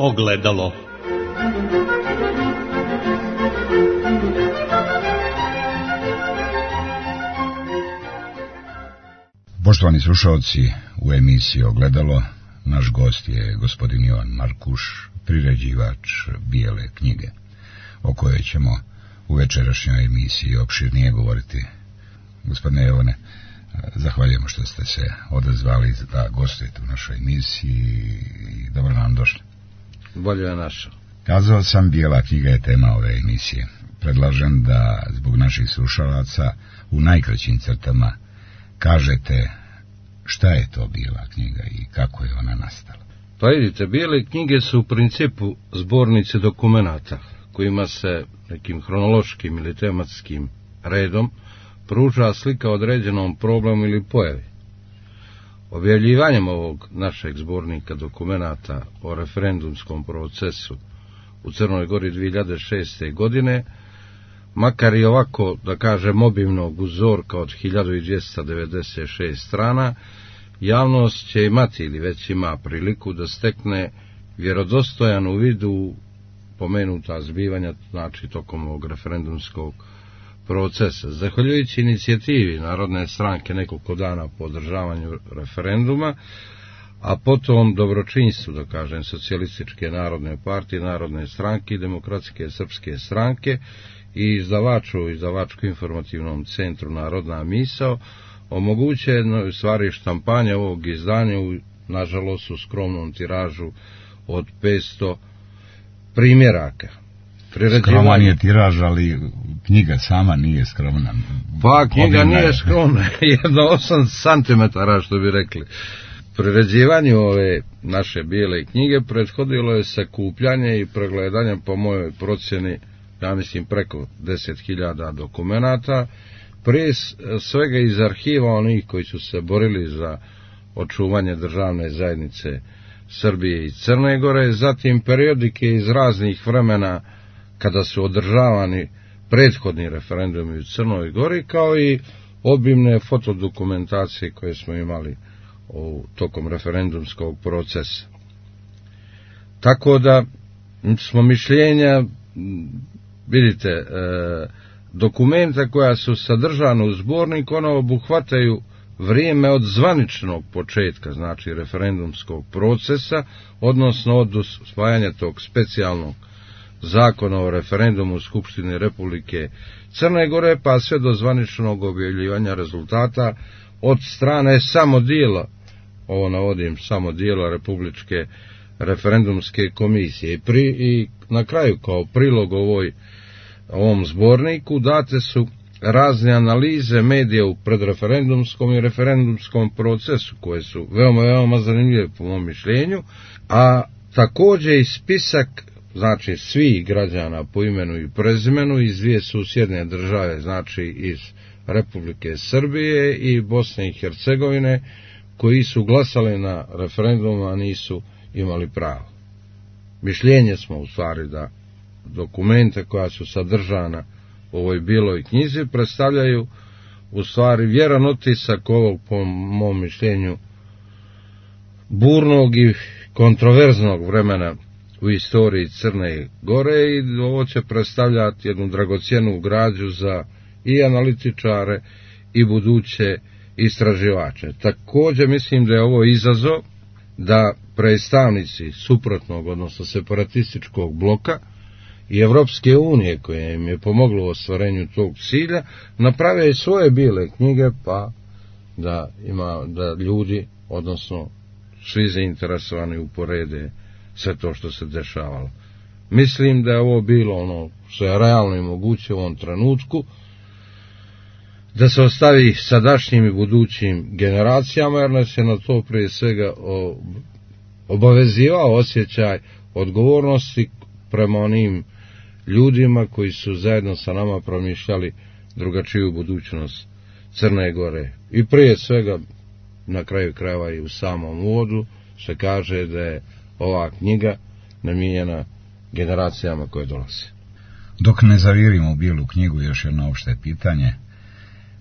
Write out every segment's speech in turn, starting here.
ogledalo. Poštovani slušalci, u emisiji Ogledalo naš gost je gospodin Jovan Markuš, priređivač Bijele knjige, o kojoj ćemo u večerašnjoj emisiji opširnije govoriti. Gospodine Jovane, zahvaljujemo što ste se odazvali da gostujete u našoj emisiji i dobro nam došli. Bolje je našo. Kazao sam, Bijela knjiga je tema ove emisije. Predlažem da zbog naših slušalaca u najkraćim crtama kažete šta je to Bijela knjiga i kako je ona nastala. Pa vidite, Bijele knjige su u principu zbornici dokumenata kojima se nekim hronološkim ili tematskim redom pruža slika određenom problemu ili pojavi. Objavljivanjem ovog našeg zbornika dokumenata o referendumskom procesu u Crnoj Gori 2006. godine, makar i ovako, da kažem, obimnog uzorka od 1296 strana, javnost će imati ili već ima priliku da stekne vjerodostojan uvid u pomenuta zbivanja, znači tokom ovog referendumskog procesa. Zahvaljujući inicijativi Narodne stranke nekoliko dana po održavanju referenduma, a potom dobročinstvu, da kažem, Socijalističke narodne partije, Narodne stranke i Demokratske srpske stranke i izdavačko-informativnom centru Narodna misao, omogućeno je u stvari štampanje ovog izdanja u, nažalost, u skromnom tiražu od 500 primjeraka. Skroman je tiraž, ali knjiga sama nije skromna. Pa knjiga nije skromna, jedno 8 cm, što bi rekli. Priređivanju ove naše Bijele knjige prethodilo je sakupljanje i pregledanje, po mojoj procjeni, ja mislim preko 10.000 dokumenata, prije svega iz arhiva onih koji su se borili za očuvanje državne zajednice Srbije i Crne Gore, zatim periodike iz raznih vremena kada su održavani prethodni referendumi u Crnoj Gori, kao i obimne fotodokumentacije koje smo imali tokom referendumskog procesa. Tako da smo mišljenja, vidite, dokumenta koja su sadržana u zborniku, ono obuhvataju vrijeme od zvaničnog početka, znači referendumskog procesa, odnosno od usvajanja tog specijalnog zakona o referendumu Skupštine Republike Crne Gore, pa sve do zvaničnog objavljivanja rezultata od strane samo dijela, ovo navodim, samo dijela Republičke referendumske komisije. I na kraju, kao prilog ovom zborniku, date su razne analize medija u predreferendumskom i referendumskom procesu, koje su veoma zanimljive po mom mišljenju, a također i spisak, znači, svih građana po imenu i prezimenu iz dvije susjedne države, znači iz Republike Srbije i Bosne i Hercegovine, koji su glasali na referendumu, a nisu imali pravo. Mišljenje smo u stvari da dokumente koja su sadržana u ovoj Bijeloj knjizi predstavljaju u stvari vjeran otisak ovog, po mom mišljenju, burnog i kontroverznog vremena u istoriji Crne Gore, i ovo će predstavljati jednu dragocjenu građu za i analitičare i buduće istraživače. Također mislim da je ovo izazov da predstavnici suprotnog, odnosno separatističkog bloka i Evropske unije, koje im je pomoglo u ostvarenju tog cilja, naprave svoje Bijele knjige, pa da ljudi, odnosno svi zainteresovani, uporede sve to što se dešavalo. Mislim da je ovo bilo ono što je realno i moguće u ovom trenutku, da se ostavi sadašnjim i budućim generacijama, jer nas je na to prije svega obavezivao osjećaj odgovornosti prema onim ljudima koji su zajedno sa nama promišljali drugačiju budućnost Crne Gore. I prije svega, na kraju krajeva i u samom uvodu, se kaže da je ova knjiga namijenjena generacijama koje dolaze. Dok ne zavirimo u Bijelu knjigu, još jedno opšte pitanje.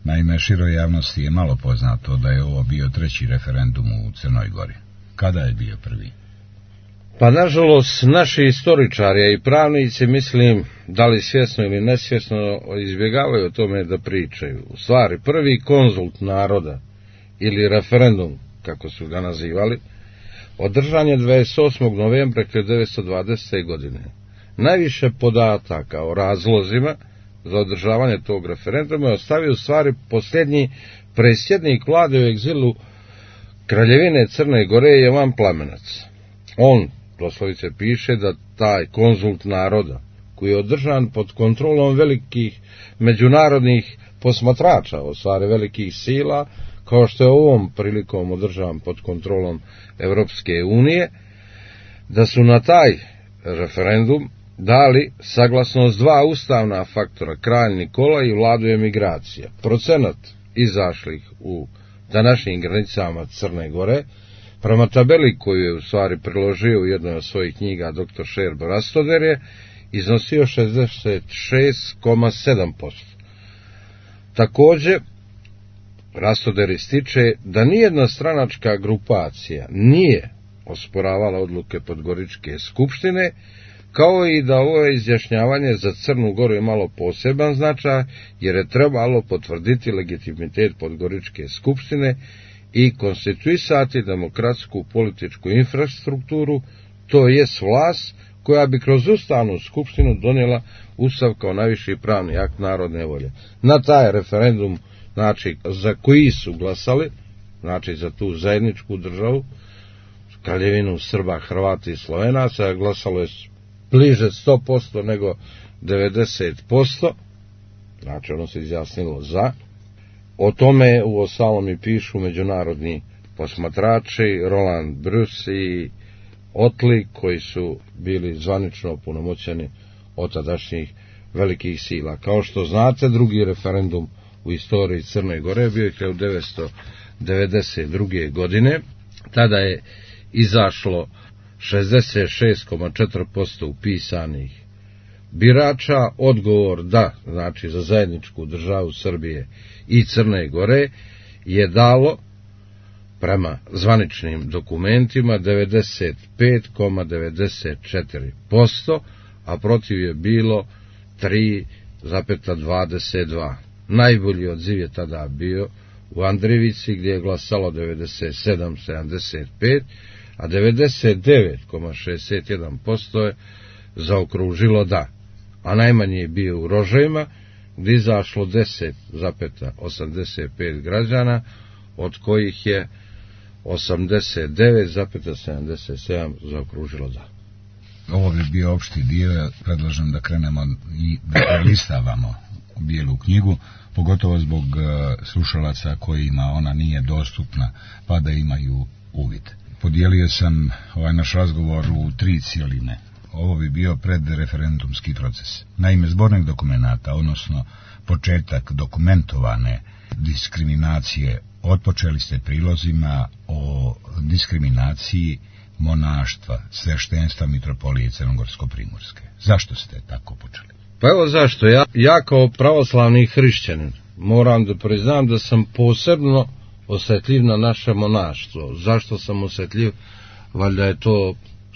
Naime, široj javnosti je malo poznato da je ovo bio treći referendum u Crnoj Gori. Kada je bio prvi? Pa nažalost naši istoričari i pravnici, mislim, da li svjesno ili nesvjesno, izbjegavaju o tome da pričaju. U stvari, prvi konzult naroda ili referendum, kako su ga nazivali, održan je 28. novembra 1920. godine. Najviše podataka o razlozima za održavanje tog referenduma je ostavio u stvari posljednji predsjednik vlade u egzilu Kraljevine Crne Gore Jovan Plamenac. On doslovice piše da taj konzult naroda, koji je održan pod kontrolom velikih međunarodnih posmatrača, u stvari velikih sila, kao što je ovom prilikom održan pod kontrolom Evropske unije, da su na taj referendum dali saglasnost dva ustavna faktora, kralj Nikola i vladu emigracija. Procenat izašlih u današnjim granicama Crne Gore, prema tabeli koju je u stvari priložio u jednoj od svojih knjiga dr. Šerbo Rastoder, je iznosio 66,7%. Također, Rastoder ističe da nijedna stranačka grupacija nije osporavala odluke Podgoričke skupštine, kao i da ovo izjašnjavanje za Crnu Goru je malo poseban značaj, jer je trebalo potvrditi legitimitet Podgoričke skupštine i konstituisati demokratsku političku infrastrukturu, to jest vlast koja bi kroz ustavnu skupštinu donijela ustav kao najviši pravni akt narodne volje. Na taj referendum, znači, za koji su glasali, znači za tu zajedničku državu, Kraljevinu Srba, Hrvata i Slovenaca, glasalo je bliže 100% nego 90%, znači ono se izjasnilo za. O tome uostalom i pišu međunarodni posmatrači, Roland Bruce i Otli, koji su bili zvanično opunomoćeni od tadašnjih velikih sila. Kao što znate, drugi referendum u istoriji Crne Gore bio je 1992. godine. Tada je izašlo 66,4% upisanih birača. Odgovor da, znači za zajedničku državu Srbije i Crne Gore, je dalo prema zvaničnim dokumentima 95,94%, a protiv je bilo 3,22%. Najbolji odziv je tada bio u Andrijevici, gdje je glasalo 97,75%, a 99,61% je zaokružilo da. A najmanji je bio u Rožajima, gdje je izašlo 10,85 građana, od kojih je 89,77 zaokružilo da. Ovo bi bio opšti dio, predlažem da krenemo i da listavamo bijelu knjigu, pogotovo zbog slušalaca kojima ona nije dostupna, pa da imaju uvid. Podijelio sam ovaj naš razgovor u 3 cjeline. Ovo bi bio predreferendumski proces. Naime, zbornik dokumenata, odnosno početak dokumentovane diskriminacije, otpočeli ste prilozima o diskriminaciji monaštva, sveštenstva mitropolije Crnogorsko-primorske. Zašto ste tako počeli? Pa evo zašto. Ja kao pravoslavni hrišćanin moram da priznam da sam posebno osjetljiv na naše monaštvo. Zašto sam osjetljiv? Valjda je to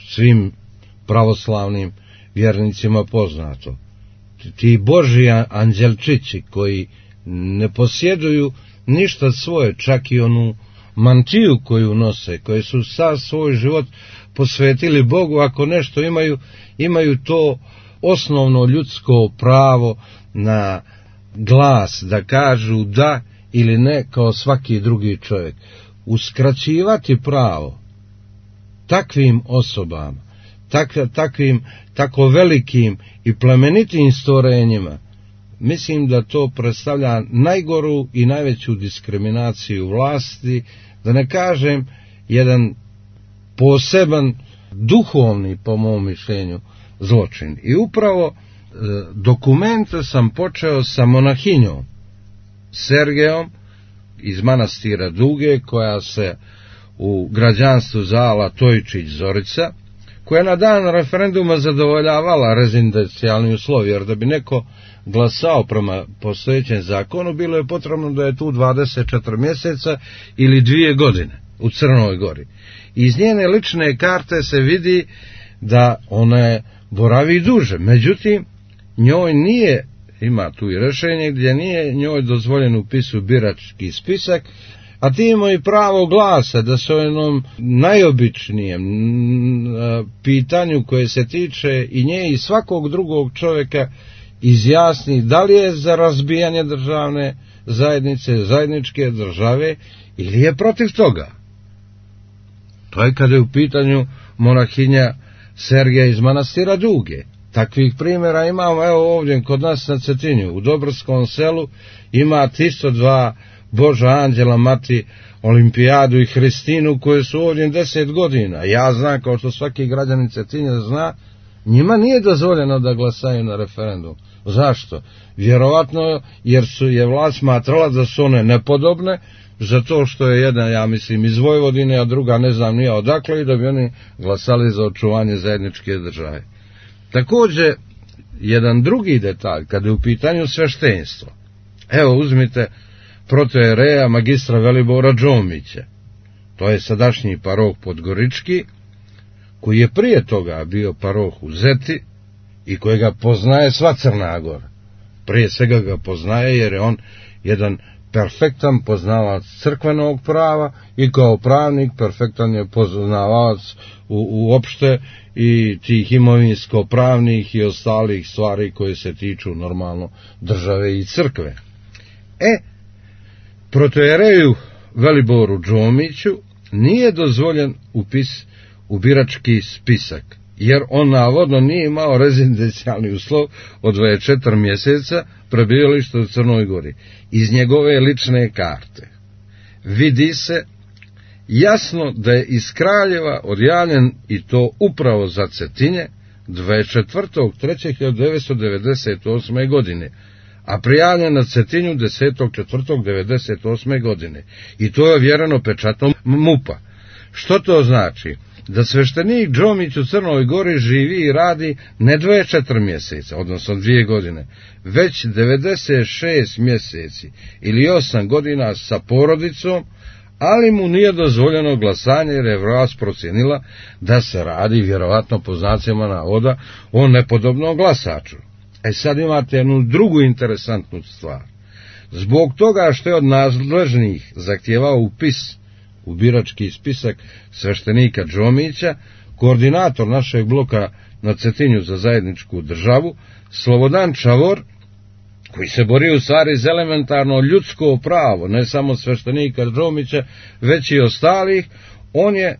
svim pravoslavnim vjernicima poznato. Ti Božji anđelčići koji ne posjeduju ništa svoje, čak i onu mantiju koju nose, koji su sav svoj život posvetili Bogu, ako nešto imaju to osnovno ljudsko pravo na glas, da kažu da ili ne kao svaki drugi čovjek. Uskraćivati pravo takvim osobama, takvim tako velikim i plemenitim stvorenjima, mislim da to predstavlja najgoru i najveću diskriminaciju vlasti, da ne kažem jedan poseban duhovni, po mom mišljenju, zločin. I upravo dokumente sam počeo sa monahinjom Sergejom iz manastira Duge, koja se u građanstvu zvala Tojčić Zorica, koja na dan referenduma zadovoljavala rezidencijalni uslovi, jer da bi neko glasao prema postojećem zakonu, bilo je potrebno da je tu 24 mjeseca ili 2 godine. u Crnoj Gori. Iz njene lične karte se vidi da ona boravi duže, međutim njoj nije, ima tu i rješenje gdje nije njoj dozvoljen upis u birački spisak, a ti imaju pravo glasa da se o jednom najobičnijem pitanju koje se tiče i nje i svakog drugog čovjeka izjasni da li je za razbijanje državne zajednice, zajedničke države ili je protiv toga. To je kada je u pitanju monahinja Sergeja iz manastira Duge. Takvih primjera imamo, evo ovdje kod nas na Cetinju, u Dobrskom selu ima 102 Boža anđela, mati Olimpijadu i Hristinu koje su ovdje 10 godina. Ja znam, kao što svaki građanin Cetinja zna, njima nije dozvoljeno da glasaju na referendum. Zašto? Vjerovatno jer je vlast smatrala da su one nepodobne, zato što je jedna, ja mislim, iz Vojvodine, a druga ne znam nije odakle, i da bi oni glasali za očuvanje zajedničke države. Također, jedan drugi detalj, kada je u pitanju sveštenstvo. Evo, uzmite protojereja magistra Velibora Đomića. To je sadašnji paroh Podgorički, koji je prije toga bio paroh u Zeti i kojega poznaje sva Crna Gora. Prije svega ga poznaje jer je on jedan perfektan poznavac crkvenog prava i kao pravnik perfektan je poznavac uopšte i tih imovinsko-pravnih i ostalih stvari koje se tiču normalno države i crkve. Protojereju Veliboru Đomiću nije dozvoljen upis u birački spisak, jer on navodno nije imao rezidencijalni uslov od 24 mjeseca prebivališta u Crnoj Gori. Iz njegove lične karte vidi se jasno da je iz Kraljeva odjavljen, i to upravo za Cetinje, 24.3.1998. godine, a prijavljen na Cetinju 10.4.1998. godine. I to je ovjereno pečatom MUP-a. Što to znači? Da sveštenik Đomić u Crnoj Gori živi i radi ne 24 mjeseca, odnosno 2 godine, već 96 mjeseci ili 8 godina sa porodicom, ali mu nije dozvoljeno glasanje jer je vlast procijenila da se radi, vjerovatno po znacima navoda, o nepodobnom glasaču. Sad imate jednu drugu interesantnu stvar. Zbog toga što je od nadležnih zahtijevao upis u birački spisak sveštenika Đomića, koordinator našeg bloka na Cetinju za zajedničku državu, Slobodan Čavor, koji se bori u stvari za elementarno ljudsko pravo, ne samo sveštenika Đomića, već i ostalih, on je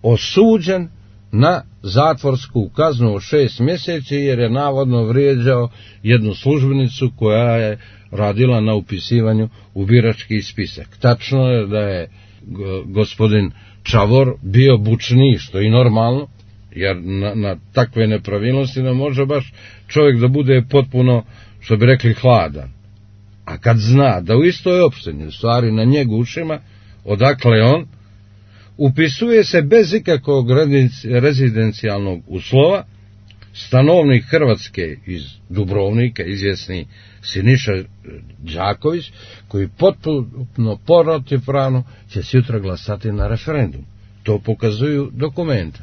osuđen na zatvorsku kaznu od 6 mjeseci jer je navodno vrijeđao jednu službenicu koja je radila na upisivanju u birački spisak. Tačno je da je gospodin Čavor bio bučniji, što je i normalno, jer na takve nepravilnosti ne može baš čovjek da bude potpuno, što bi rekli, hladan. A kad zna da u istoj opštini, u stvari na njegu ušima, odakle on, upisuje se bez ikakvog rezidencijalnog uslova stanovnik Hrvatske iz Dubrovnika, izvjesni Siniša Đaković, koji potpuno protivpravno će sutra glasati na referendum. To pokazuju dokumenta.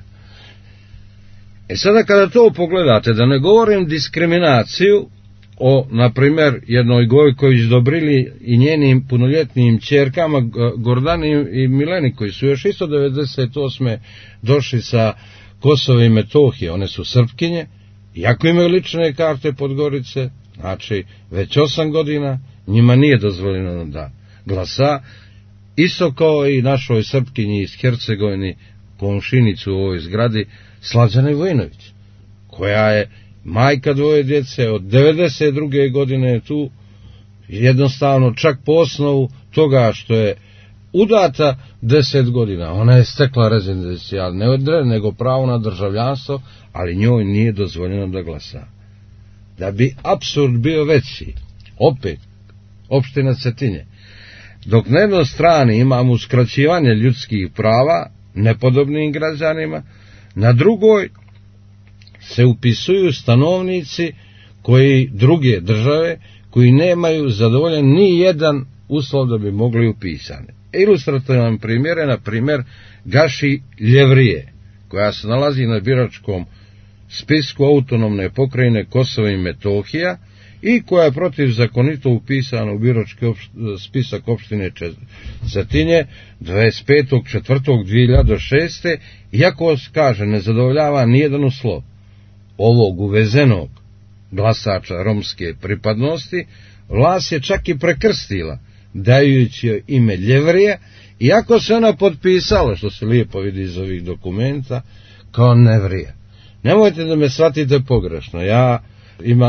Sada kada to pogledate, da ne govorim diskriminaciju o, na primjer, jednoj Gojković Dobrili i njenim punoljetnim ćerkama Gordani i Mileni, koji su još isto 98. došli sa Kosova i Metohije, one su Srpkinje, iako imaju lične karte Podgorice, znači već 8 godina, njima nije dozvoljeno da glasa, isto kao i našoj Srpkinji iz Hercegovini, komšinicu u ovoj zgradi, Slađane Vojinović, koja je majka 2 djece, od 92. godine je tu, jednostavno čak po osnovu toga što je udata 10 godina. Ona je stekla rezidencijal, ne nego pravo na državljanstvo, ali njoj nije dozvoljeno da glasa. Da bi apsurd bio veći, opet, opština Cetinje, dok na jednoj strani imamo uskraćivanje ljudskih prava nepodobnim građanima, na drugoj se upisuju stanovnici koji druge države koji nemaju zadovoljen ni jedan uslov da bi mogli upisani. Ilustrativan primjer je, na primjer, Gaši Ljevrije, koja se nalazi na biračkom spisku autonomne pokrajine Kosovo i Metohija i koja je protivzakonito upisana u birački spisak opštine Cetinje 25.4.2006. iako, kaže, ne zadovoljava nijedan uslov ovog uvezenog glasača romske pripadnosti, vlast je čak i prekrstila, dajući joj ime Ljevrije, iako se ona potpisala, što se lijepo vidi iz ovih dokumenta, kao Nevrije. Nemojte da me shvatite pogrešno, ja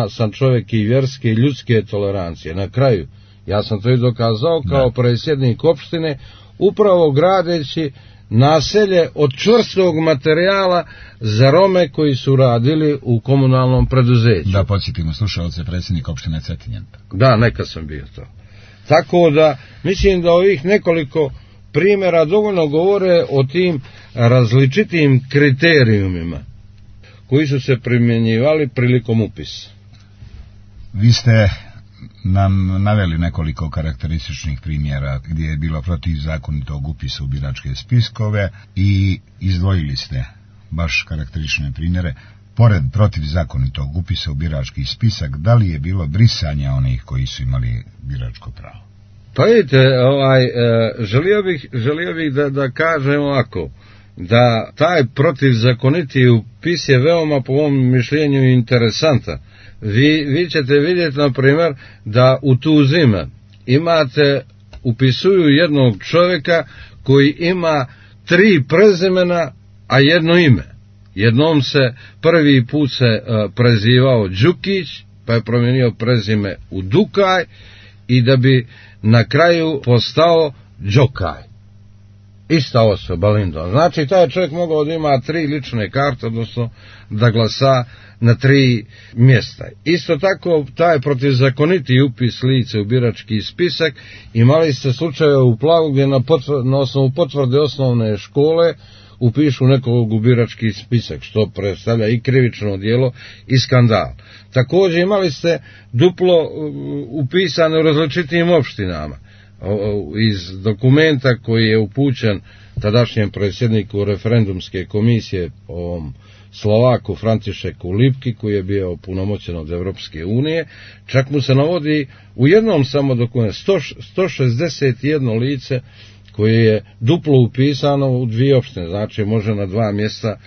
sam čovjek i vjerske i ljudske tolerancije. Na kraju, ja sam to i dokazao kao predsjednik opštine, upravo gradeći naselje od čvrstog materijala za Rome koji su radili u komunalnom preduzeću. Da podsjetimo slušalce, predsjednik opštine Cetinje. Da, neka sam bio to. Tako da, mislim da ovih nekoliko primjera dovoljno govore o tim različitim kriterijumima koji su se primjenjivali prilikom upisa. Vi ste nam naveli nekoliko karakterističnih primjera gdje je bilo protivzakonitog upisa u biračke spiskove i izdvojili ste baš karakteristične primjere. Pored protivzakonitog upisa u birački spisak, da li je bilo brisanja onih koji su imali biračko pravo? Pa vidite, želio bih da kažem ovako, da taj protivzakoniti upis je veoma, po mom mišljenju, interesantan. Vi ćete vidjeti, na primjer, da u Tuzima upisuju jednog čovjeka koji ima 3 prezimena, a jedno ime. Jednom se prvi put prezivao Đukić, pa je promijenio prezime u Dukaj i da bi na kraju postao Đokaj. Ista osoba, Lindon. Znači, taj čovjek mogao da ima 3 lične karte, odnosno da glasa na 3 mjesta. Isto tako, taj protivzakoniti upis lice u birački spisak, imali ste slučaje u Plavu gdje na osnovu potvrde osnovne škole upišu nekog u birački spisak, što predstavlja i krivično djelo i skandal. Također imali ste duplo upisane u različitim opštinama. Iz dokumenta koji je upućen tadašnjem predsjedniku referendumske komisije, ovom Slovaku Františeku Lipki, koji je bio opunomoćen od Evropske unije, čak mu se navodi u jednom samo dokumentu 161 lice koje je duplo upisano u 2 opštine, znači može na 2 mjesta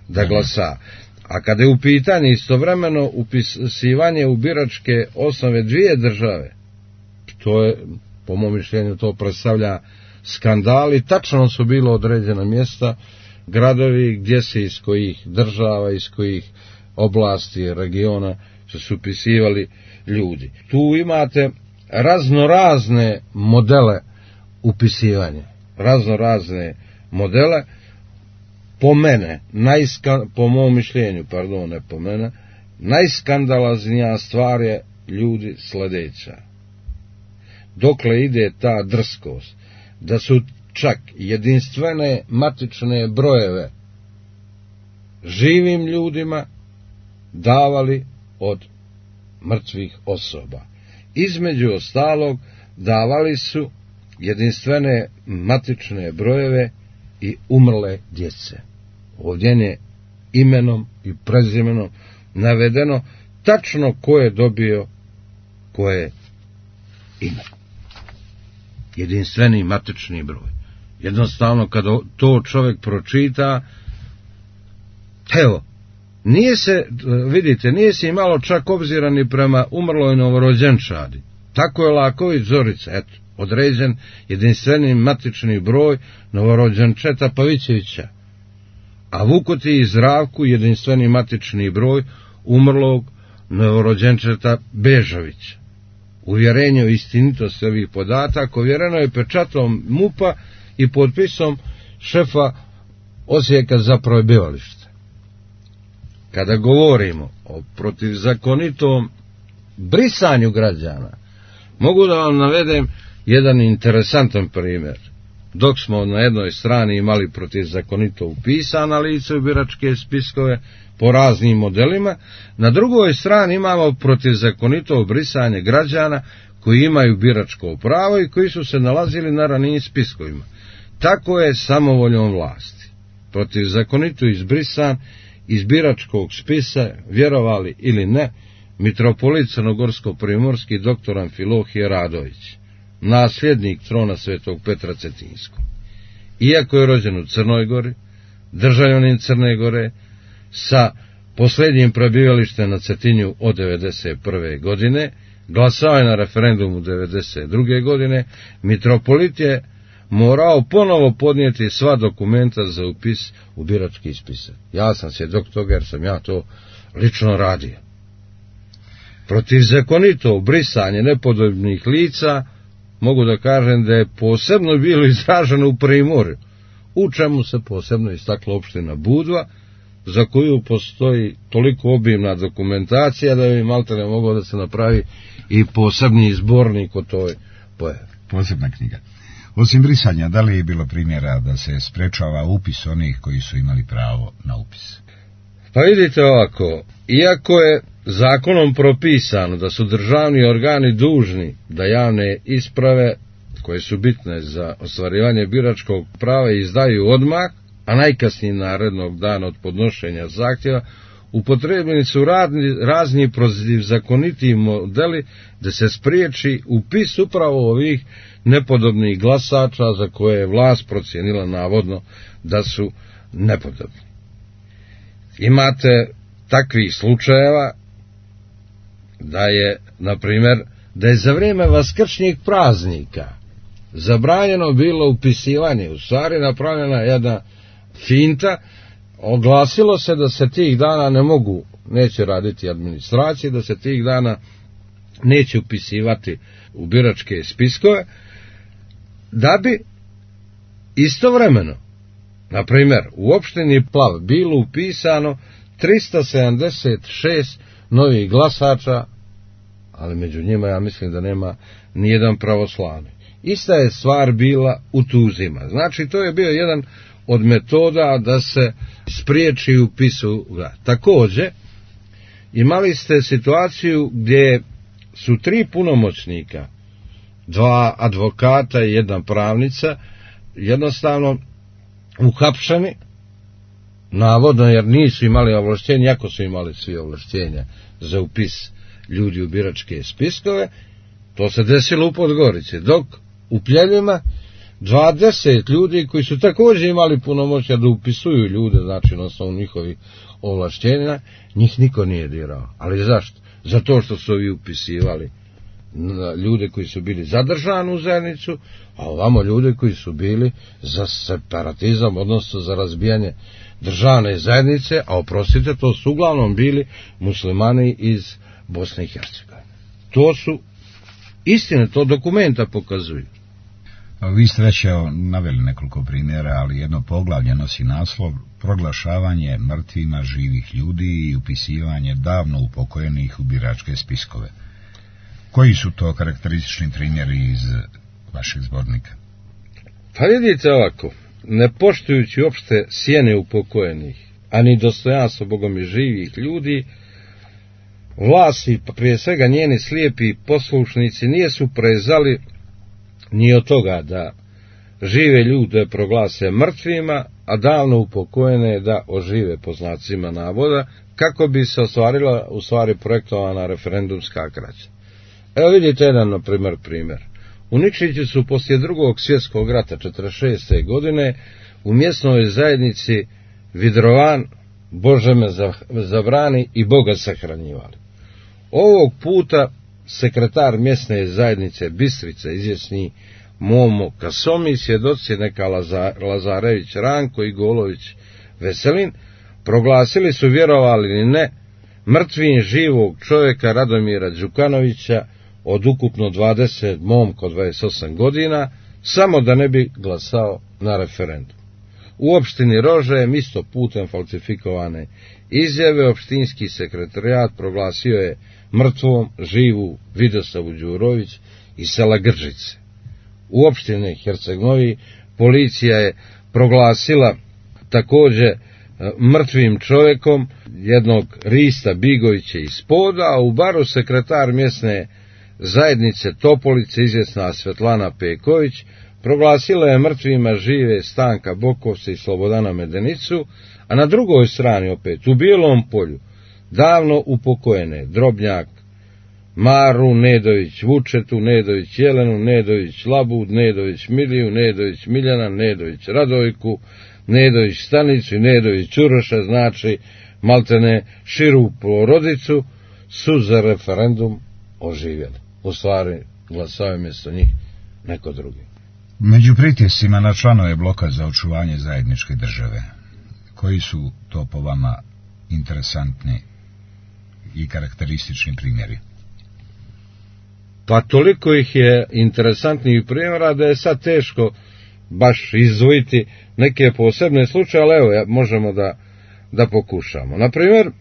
da glasa. A kada je u pitanju istovremeno upisivanje u biračke osnove 2 države, to je, po mom mišljenju, to predstavlja skandal i tačno su bilo određena mjesta, gradovi gdje se iz kojih država, iz kojih oblasti, regiona su upisivali ljudi. Tu imate raznorazne modele upisivanja, raznorazne modele. Po mom mišljenju, najskandaloznija stvar je, ljudi, sljedeća. Dokle ide ta drskost, da su čak jedinstvene matične brojeve živim ljudima davali od mrtvih osoba. Između ostalog, davali su jedinstvene matične brojeve i umrle djece. Ovdje je imenom i prezimenom navedeno tačno ko je dobio koje ime. Jedinstveni matični broj. Jednostavno, kada to čovjek pročita, evo, nije se imalo čak obzira ni prema umrloj novorođenčadi. Tako je Laković Zorica, eto, određen jedinstveni matični broj novorođenčeta Pavićevića, a Vukoti i Zdravku jedinstveni matični broj umrlog novorođenčeta Bežovića. Uvjerenje o istinitosti ovih podataka ovjereno je pečatom MUP-a i potpisom šefa Osijeka za prebivalište. Kada govorimo o protivzakonitom brisanju građana, mogu da vam navedem jedan interesantan primjer. Dok smo na jednoj strani imali protivzakonito upisana lice u biračke spiskove po raznim modelima, na drugoj strani imamo protivzakonito brisanje građana koji imaju biračko pravo i koji su se nalazili na ranijim spiskovima. Tako je samovoljom vlasti. Protivzakonito izbrisan iz biračkog spisa, vjerovali ili ne, mitropolit crnogorsko-primorski dr. Amfilohije Radović, nasljednik trona svetog Petra Cetinskog. Iako je rođen u Crnoj Gori, državljanin Crne Gore, sa posljednjim prebivalištem na Cetinju od 1991. godine, glasao je na referendumu 1992. godine, mitropolit je morao ponovo podnijeti sva dokumenta za upis u birački spisak. Ja sam svjedok toga jer sam ja to lično radio. Protivzakonito brisanje nepodobnih lica, mogu da kažem da je posebno bilo izraženo u Primorju, u čemu se posebno istakla opština Budva, za koju postoji toliko obimna dokumentacija da bi maltene mogao da se napravi i posebni zbornik o toj pojavi. Posebna knjiga. Osim brisanja, da li je bilo primjera da se sprečava upis onih koji su imali pravo na upis? Pa vidite ovako, iako je zakonom propisano da su državni organi dužni da javne isprave koje su bitne za ostvarivanje biračkog prava izdaju odmah, a najkasnije narednog dana od podnošenja zahtjeva, upotrebljeni su razni protivzakoniti modeli da se spriječi upis upravo ovih nepodobnih glasača za koje je vlast procijenila navodno da su nepodobni. Imate takvih slučajeva da je, na primjer, da je za vrijeme vaskršnjih praznika zabranjeno bilo upisivanje, u stvari napravljena jedna finta, oglasilo se da se tih dana neće raditi administracije, da se tih dana neće upisivati u biračke spiskove, da bi istovremeno, na primjer, u opštini Plav bilo upisano 376 novih glasača, ali među njima ja mislim da nema nijedan pravoslavni. Ista je stvar bila u Tuzima. Znači, to je bio jedan od metoda da se spriječi upisu. Također, imali ste situaciju gdje su 3 punomoćnika, 2 advokata i 1 pravnica, jednostavno uhapšeni, navodno jer nisu imali ovlaštenja, iako su imali svi ovlaštenja za upis ljudi u biračke spiskove. To se desilo u Podgorici, dok u Pljeljima 20 ljudi koji su također imali punomoćja da upisuju ljude, znači na osnovu njihovih ovlaštenja, njih niko nije dirao. Ali zašto? Zato što su ovi upisivali ljude koji su bili zadržani u zajednicu, a ovamo ljude koji su bili za separatizam, odnosno za razbijanje državne zajednice, a oprostite, to su uglavnom bili muslimani iz Bosne i Hercegovine. To su istine, to dokumenta pokazuju. Vi ste već naveli nekoliko primjera, ali jedno poglavlje nosi naslov proglašavanje mrtvima živih ljudi i upisivanje davno upokojenih u biračke spiskove. Koji su to karakteristični primjeri iz vašeg zbornika? Pa vidite ovako, ne poštujući uopšte sjene upokojenih, ani dostojanstvo Bogom i živih ljudi, vlasti, prije svega njeni slijepi poslušnici, nije su prezali ni od toga da žive ljude proglase mrtvima, a davno upokojene da ožive, po znacima navoda, kako bi se ostvarila u stvari projektovana referendumska krađa. Evo vidite jedan, na primjer. U Nikšiću su poslije Drugog svjetskog rata 1946. godine u mjesnoj zajednici Vidrovan, Bože me zabrani, i Boga sahranjivali. Ovog puta sekretar mjesne zajednice Bistrica, izvjesni Momo Kasomi, svjedoci neka Lazarević Ranko i Golović Veselin, proglasili su, vjerovali ili ne, mrtvim živog čovjeka Radomira Đukanovića od ukupno 20, momka od 28 godina, samo da ne bi glasao na referendum. U opštini Rožajem, isto putem falsifikovane izjave, opštinski sekretarijat proglasio je mrtvom živu Vidosavu Đurović iz sela Gržice. U opštini Herceg-Novi policija je proglasila također mrtvim čovjekom jednog Rista Bigovića iz Poda, a u Baru sekretar mjesne zajednice Topolice izvjesna Svetlana Peković proglasila je mrtvima žive Stanka Bokovca i Slobodana Medenicu, a na drugoj strani opet, u Bijelom Polju, davno upokojene Drobnjak, Maru Nedović, Vučetu Nedović, Jelenu Nedović, Labud Nedović, Miliju Nedović, Miljana Nedović, Radojku Nedović, Stanicu i Nedović Uroša, znači maltene širu porodicu, su za referendum oživjeli. U stvari glasao je mjesto njih neko drugi. Među pritiscima na članove bloka za očuvanje zajedničke države, koji su to po vama interesantni i karakteristični primjeri? Pa toliko ih je interesantnih primjera da je sad teško baš izdvojiti neke posebne slučaje, ali evo, možemo da pokušamo. Naprimjer,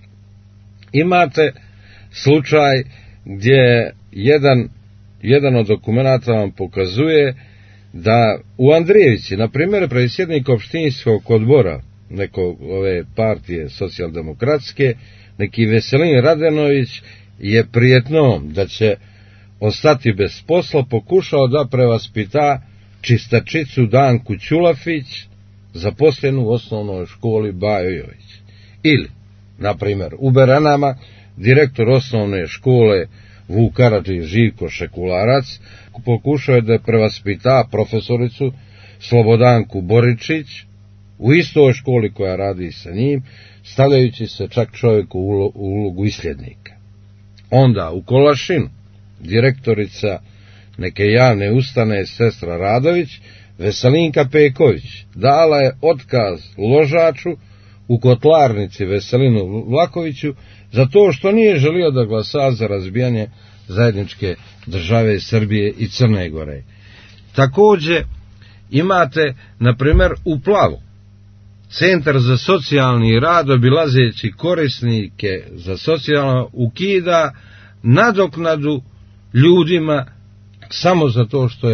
imate slučaj gdje jedan od dokumenata vam pokazuje da u Andrijevici, na primjer, predsjednik opštinskog odbora nekog ove partije socijaldemokratske, neki Veselin Radenović, je prijetnom da će ostati bez posla pokušao da prevaspita čistačicu Danku Ćulafić, zaposlenu u osnovnoj školi Bajović. Ili, na primjer, u Beranama direktor osnovne škole Vuk Karadžić Živko Šekularac pokušao je da prevaspita profesoricu Slobodanku Boričić u istoj školi koja radi sa njim, stavljajući se čak čovjeku u ulogu isljednika. Onda u Kolašinu direktorica neke javne ustanove sestra Radović, Veselinka Peković, dala je otkaz ložaču u kotlarnici Veselinu Vlakoviću za to što nije želio da glasa za razbijanje zajedničke države Srbije i Crne Gore. Također imate, na primjer, u Plavu Centar za socijalni rad, obilazeći korisnike za socijalno, ukida nadoknadu ljudima samo zato što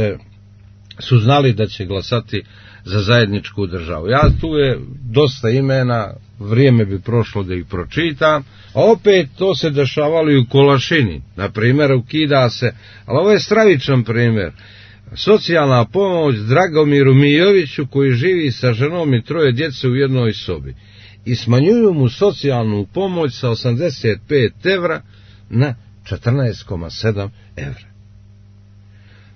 su znali da će glasati za zajedničku državu. Tu je dosta imena, vrijeme bi prošlo da ih pročitam, a opet to se dešavalo i u Kolašini. Na primjer, ukida se, ali ovo je stravičan primjer, socijalna pomoć Dragomiru Mijoviću koji živi sa ženom i 3 djece u jednoj sobi i smanjuju mu socijalnu pomoć sa 85 evra na 14,7 evra.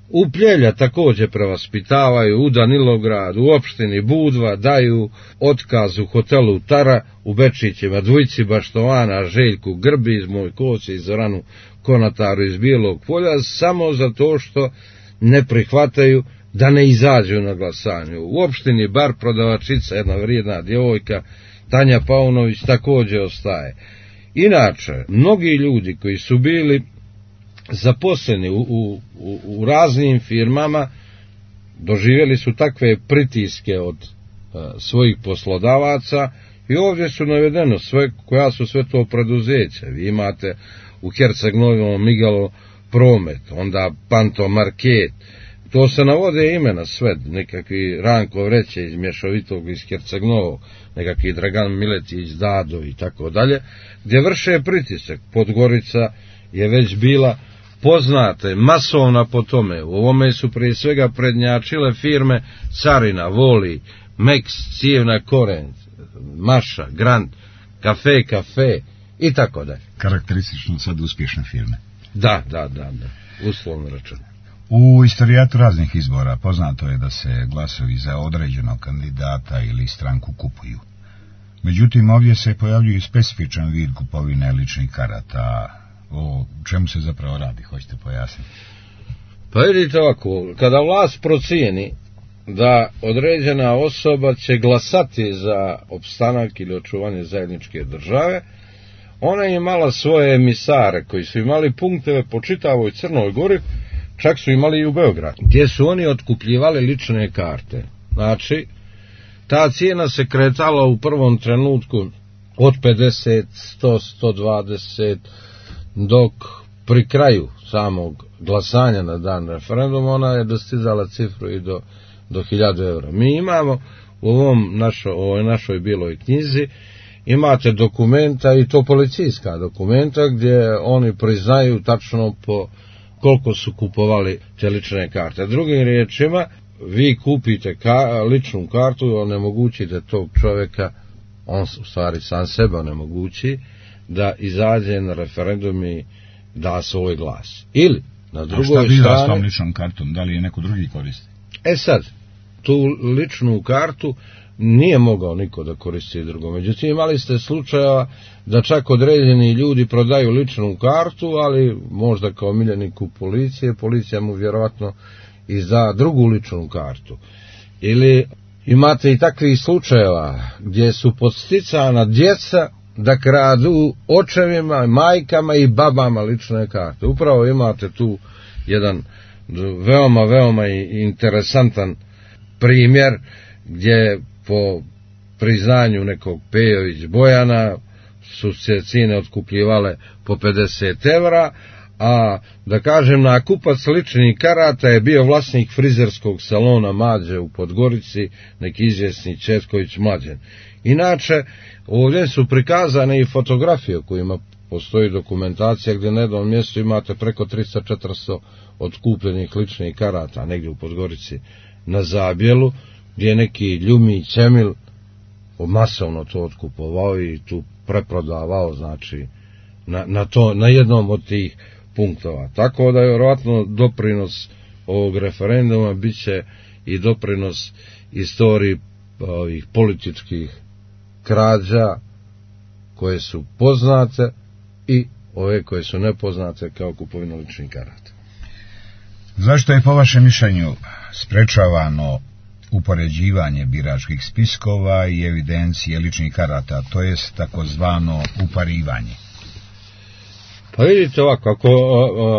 U Pljelja također prevaspitavaju, u Danilograd, u opštini Budva daju otkaz u hotelu Tara u Bečićima dvojici Baštovana, Željku Grbić, Mojkoci i Zoranu Konataru iz Bijelog Polja, samo zato što ne prihvataju da ne izađu na glasanju. U opštini Bar prodavačica, jedna vrijedna djevojka, Tanja Paunović, također ostaje. Inače, mnogi ljudi koji su bili zaposleni u raznim firmama doživjeli su takve pritiske od svojih poslodavaca i ovdje su navedeno koja su sve to preduzeća. Vi imate u Herceg-Novom Migalo Promet, onda Panto Market, to se navode imena sve, nekakvi Ranko Vreće iz Mješovitog iz Herceg-Novog, nekakvi Dragan Miletić, Dado i tako dalje, gdje vrše pritisak. Podgorica je već bila poznata, masovna po tome. U ovome su prije svega prednjačile firme Carina, Voli, Mex, Cijevna Koren, Maša, Grand, Kafe i tako dalje. Karakteristično sad uspješne firme. Da, uslovno rečeno. U istorijatu raznih izbora poznato je da se glasovi za određenog kandidata ili stranku kupuju. Međutim, ovdje se pojavljuje specifičan vid kupovine ličnih karata. O čemu se zapravo radi, hoćete pojasniti? Pa vidite ovako, kada vlast procijeni da određena osoba će glasati za opstanak ili očuvanje zajedničke države, ona je imala svoje emisare koji su imali punkteve po čitavoj Crnoj Gori, čak su imali i u Beogradu, gdje su oni otkupljivali lične karte. Znači, ta cijena se kretala u prvom trenutku od 50, 100, 120, dok pri kraju samog glasanja na dan referenduma ona je dostizala cifru i do 1000 evra. Mi imamo u ovoj našoj bijeloj knjizi imate dokumenta, i to policijska dokumenta, gdje oni priznaju tačno po koliko su kupovali te lične karte. Drugim riječima, vi kupite ličnu kartu i onemogućite tog čovjeka, on u stvari sam sebe onemogući, da izađe na referendum i da svoj glas. Ili, na drugoj strani... A šta biva s tom ličnom kartom? Da li je neko drugi koristi? Sad, tu ličnu kartu nije mogao niko da koristi drugo. Međutim, imali ste slučajeva da čak određeni ljudi prodaju ličnu kartu, ali možda kao miljeniku policije, policija mu vjerovatno izda drugu ličnu kartu. Ili imate i takvih slučajeva gdje su podsticana djeca da kradu očevima, majkama i babama lične karte. Upravo imate tu jedan veoma interesantan primjer gdje po priznanju nekog Pejović Bojana su se cijene otkupljivale po 50 evra, a da kažem nakupac ličnih karata je bio vlasnik frizerskog salona Mađe u Podgorici, neki izvjesni Četković Mlađen. Inače, ovdje su prikazane i fotografije kojima postoji dokumentacija gdje na jednom mjestu imate preko 300-400 otkupljenih ličnih karata, negdje u Podgorici na Zabjelu, gdje je neki Ljumić Emil masovno to otkupovao i tu preprodavao, znači, na jednom od tih punktova. Tako da je vjerojatno doprinos ovog referenduma bit će i doprinos istoriji ovih političkih krađa koje su poznate i ove koje su nepoznate kao kupovina ličnih karata. Zašto je po vašem mišljenju sprečavano upoređivanje biračkih spiskova i evidencije ličnih karata, to jest takozvano uparivanje? Pa vidite ovako, ako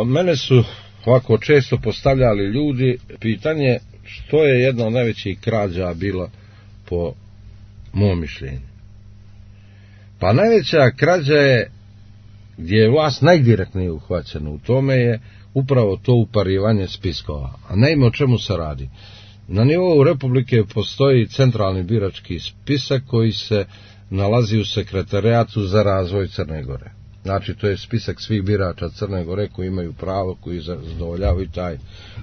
mene su ovako često postavljali ljudi pitanje što je jedna od najvećih krađa bila po mom mišljenju. Pa najveća krađa je, gdje je vlast najdirektnije uhvaćena u tome, je upravo to uparivanje spiskova. A naime, o čemu se radi? Na nivou Republike postoji centralni birački spisak koji se nalazi u sekretarijatu za razvoj Crne Gore. Znači, to je spisak svih birača Crne Gore koji imaju pravo, koji zadovoljavaju taj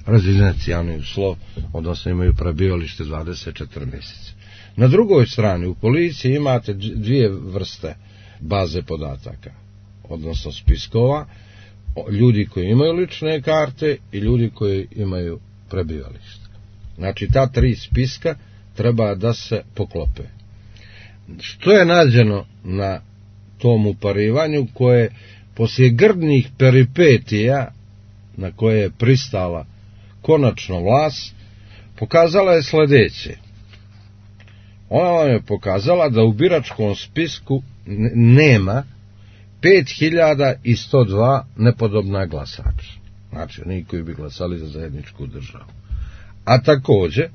rezidencijalni uslov, odnosno imaju prebivalište 24 mjeseca. Na drugoj strani, u policiji imate dvije vrste baze podataka, odnosno spiskova, ljudi koji imaju lične karte i ljudi koji imaju prebivalište. Znači, ta tri spiska treba da se poklope. Što je nađeno na tom uparivanju koje poslije grdnih peripetija na koje je pristala konačno vlast, pokazala je sljedeće. Ona vam je pokazala da u biračkom spisku nema 5102 nepodobna glasača. Znači, oni koji bi glasali za zajedničku državu. A također,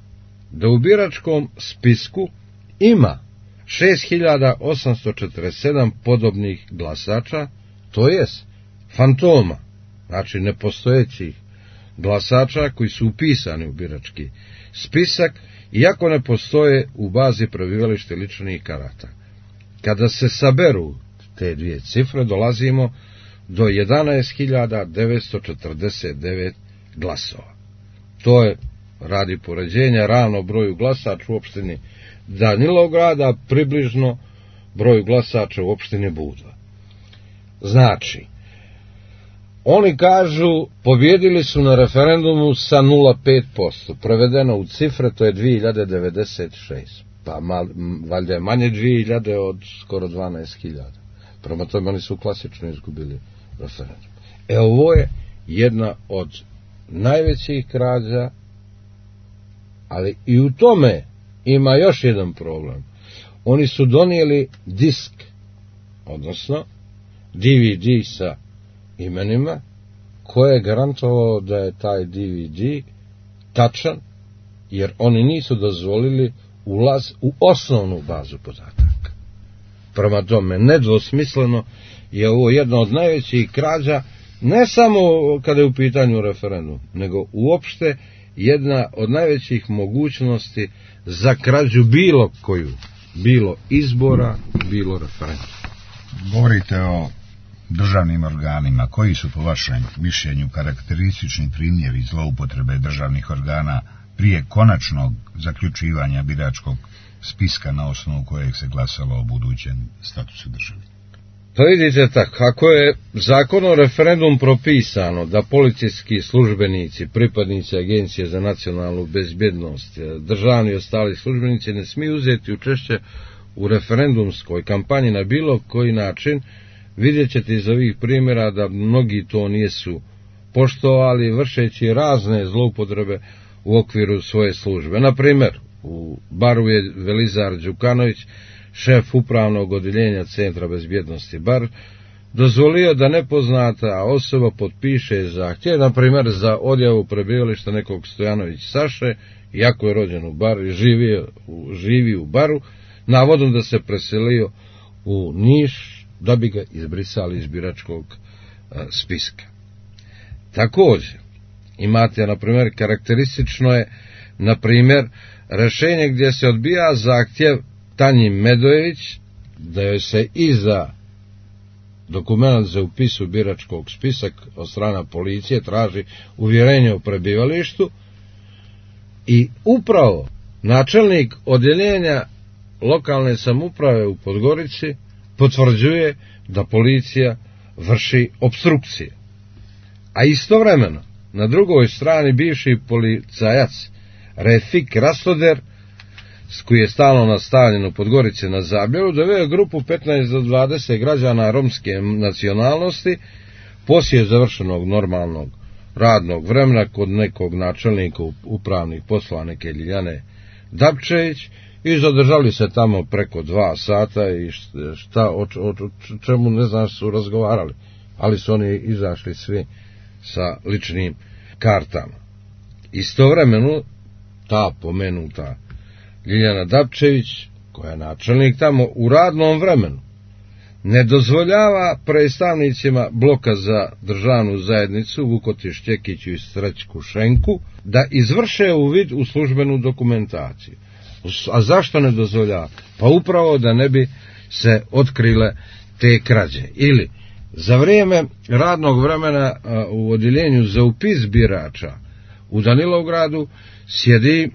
da u biračkom spisku ima 6847 podobnih glasača, to jest fantoma, znači nepostojećih glasača koji su upisani u birački spisak, iako ne postoje u bazi prebivalište ličnih karata. Kada se saberu te dvije cifre, dolazimo do 11.949 glasova. To je, radi poređenja, ravno broju glasača u opštini Danilograda, približno broju glasača u opštini Budva. Znači, oni kažu, pobjedili su na referendumu sa 0,5%, prevedeno u cifre, to je 2096, pa valjda je manje 2000 od skoro 12.000. Prema tome oni su klasično izgubili referendum. Ovo je jedna od najvećih krađa, ali i u tome ima još jedan problem. Oni su donijeli disk, odnosno DVD sa imenima, koje je garantovao da je taj DVD tačan, jer oni nisu dozvolili ulaz u osnovnu bazu podataka. Prema tome, nedvosmisleno je ovo jedna od najvećih krađa, ne samo kada je u pitanju referendum, nego uopšte jedna od najvećih mogućnosti za krađu bilo koju, bilo izbora, bilo referenduma. Govorite o državnim organima. Koji su po vašem mišljenju karakteristični primjeri zloupotrebe državnih organa prije konačnog zaključivanja biračkog spiska na osnovu kojeg se glasalo o budućem statusu države? Pa vidite tako, ako je zakon o referendum propisano da policijski službenici, pripadnici Agencije za nacionalnu bezbjednost, državni i ostali službenici ne smiju uzeti učešće u referendumskoj kampanji na bilo koji način, vidjet ćete iz ovih primjera da mnogi to nisu poštovali, vršeći razne zloupotrebe u okviru svoje službe. Na primjer, u baru je Velizar Đukanović, šef upravnog odjeljenja Centra bezbjednosti Bar, dozvolio da nepoznata osoba potpiše zahtjev, na primjer za odjavu prebivališta nekog Stojanović Saše, iako je rođen u Baru i živi u Baru, navodno da se preselio u Niš da bi ga izbrisali iz biračkog spiska. Također, imate, na primjer, karakteristično je, na primjer, rješenje gdje se odbija zahtjev Tanji Medojević da joj se iza dokument za upis u biračkog spisak od strane policije traži uvjerenje o prebivalištu i upravo načelnik odjeljenja lokalne samouprave u Podgorici potvrđuje da policija vrši opstrukcije. A istovremeno, na drugoj strani bivši policajac Refik Rastoder, koji je stalno nastavljen u Podgorici na Zabljevu, doveo grupu 15 do 20 građana romske nacionalnosti poslije završenog normalnog radnog vremena kod nekog načelnika upravnih poslova, neke Ljiljane Dapčević, i zadržali se tamo preko 2 sata i o čemu ne znam su razgovarali, ali su oni izašli svi sa ličnim kartama. Istovremeno ta pomenuta Ljiljana Dapčević, koja je načelnik tamo, u radnom vremenu ne dozvoljava predstavnicima bloka za državnu zajednicu Vukoti Šćekiću i Srećku Šenku da izvrše uvid u službenu dokumentaciju. A zašto ne dozvoljava? Pa upravo da ne bi se otkrile te krađe. Ili za vrijeme radnog vremena u odjeljenju za upis birača u Danilovgradu sjedi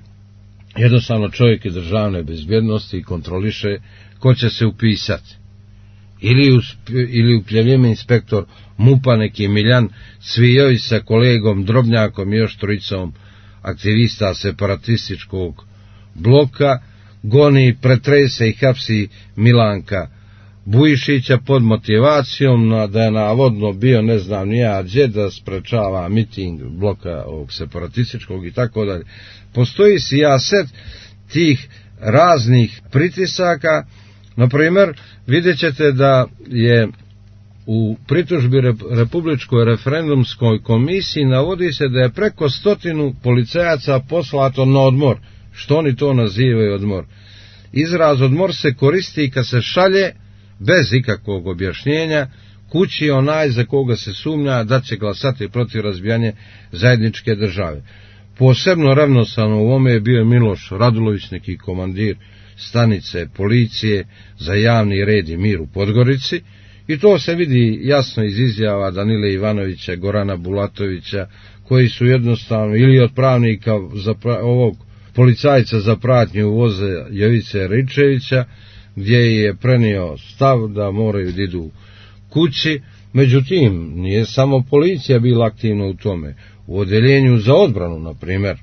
jednostavno čovjek iz državne bezbjednosti i kontroliše ko će se upisati. Ili upljevljeme inspektor MUP-a neki Miljan Cvijović sa kolegom Drobnjakom i još trojicom aktivista separatističkog bloka goni, pretrese i hapsi Milanka Bujišića pod motivacijom da je navodno bio ne znam nija gdje da sprečava miting bloka ovog separatističkog i tako dalje. Postoji sijaset tih raznih pritisaka. Na primjer, vidjet ćete da je u pritužbi Republičkoj referendumskoj komisiji navodi se da je preko 100 policajaca poslato na odmor. Što oni to nazivaju odmor? Izraz odmor se koristi kad se šalje bez ikakvog objašnjenja kući onaj za koga se sumnja da će glasati protiv razbijanja zajedničke države. Posebno revnosano u ovome je bio Miloš Radulović, neki komandir stanice policije za javni red i mir u Podgorici, i to se vidi jasno iz izjava Danile Ivanovića, Gorana Bulatovića, koji su jednostavno ili od pravnika ovog policajca za pratnju voze Jovice Ričevića, gdje je prenio stav da moraju da idu kući. Međutim, nije samo policija bila aktivna u tome. U odjeljenju za odbranu, na primjer,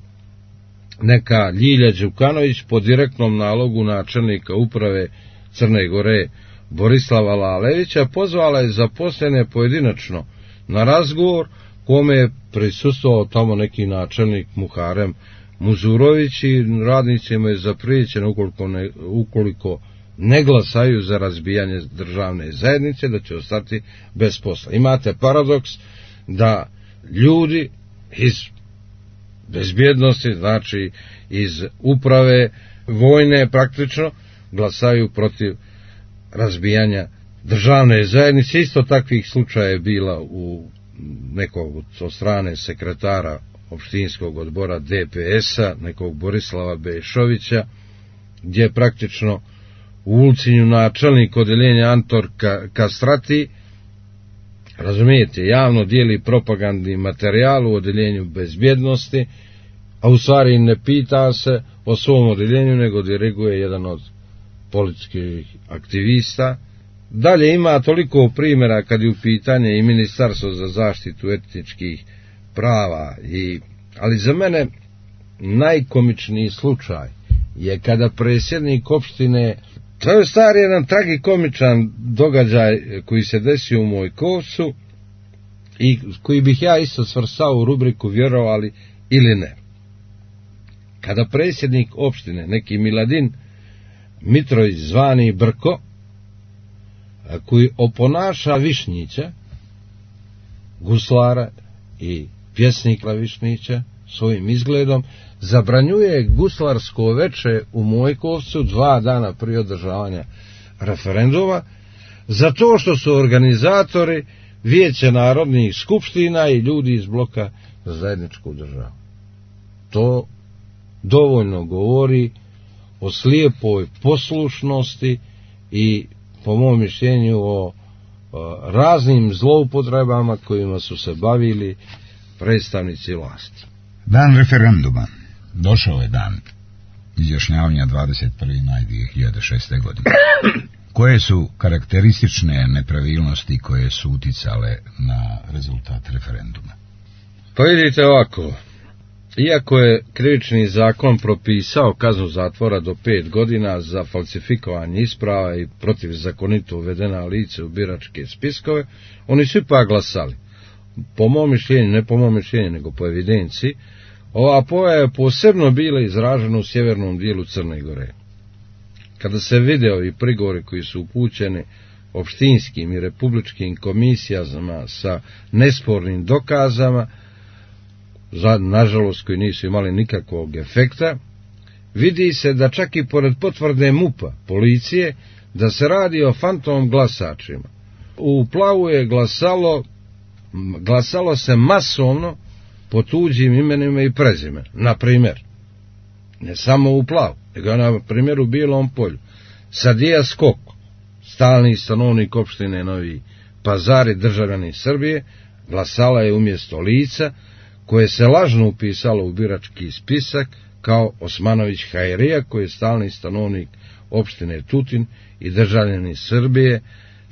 neka Ljilja Đukanović po direktnom nalogu načelnika uprave Crne Gore Borislava Lalevića pozvala je zaposlene pojedinačno na razgovor kome je prisustvovao tamo neki načelnik Muharem Muzurović i radnicima je zapriječeno ukoliko ne glasaju za razbijanje državne zajednice da će ostati bez posla. Imate paradoks da ljudi iz bezbjednosti, znači iz uprave vojne praktično, glasaju protiv razbijanja državne zajednice. Isto takvih slučaja je bila u nekog od strane sekretara opštinskog odbora DPS-a, nekog Borislava Bešovića, gdje je praktično u Ulcinju načelnik odjeljenja Antor Kastrati razumijete, javno dijeli propagandni materijal u odeljenju bezbjednosti, a u stvari ne pita se o svom odeljenju, nego diriguje jedan od političkih aktivista. Dalje ima toliko primjera kad je u pitanje i Ministarstvo za zaštitu etničkih prava, ali za mene najkomičniji slučaj je kada predsjednik opštine, to je stari jedan tragikomičan događaj koji se desio u Mojkovcu i koji bih ja isto svrstao u rubriku vjerovali ili ne. Kada predsjednik opštine, neki Miladin Mitrović zvani Brko, koji oponaša Višnjića, guslara i pjesnika Višnjića, svojim izgledom, zabranjuje guslarsko veče u Mojkovcu 2 dana prije održavanja referenduma, zato što su organizatori Vijeće narodnih skupština i ljudi iz bloka za zajedničku državu. To dovoljno govori o slijepoj poslušnosti i, po mom mišljenju, o raznim zloupotrebama kojima su se bavili predstavnici vlasti. Dan referenduma. Došao je dan izjašnjavanja 21. maj 2006. godine. Koje su karakteristične nepravilnosti koje su uticale na rezultat referenduma? Pa vidite ovako, iako je krivični zakon propisao kaznu zatvora do 5 godina za falsifikovanje isprava i protivzakonito uvedena lice u biračke spiskove, oni su ipak glasali. Po mom mišljenju, ne po mom mišljenju, nego po evidenciji, ova pojava je posebno bila izražena u sjevernom dijelu Crne Gore. Kada se video i prigovori koji su upućeni opštinskim i republičkim komisijama sa nespornim dokazama, nažalost koji nisu imali nikakvog efekta, vidi se da čak i pored potvrde MUP-a, policije, da se radi o fantom glasačima. U Plavu je glasalo se masovno po tuđim imenima i prezime. Na primjer, ne samo u Plavu, nego na primjer u Bijelom Polju. Sadija Skok, stalni stanovnik opštine Novi Pazar i državljanin Srbije, glasala je umjesto lica koje se lažno upisalo u birački spisak kao Osmanović Hajrija, koji je stalni stanovnik opštine Tutin i državljanin Srbije.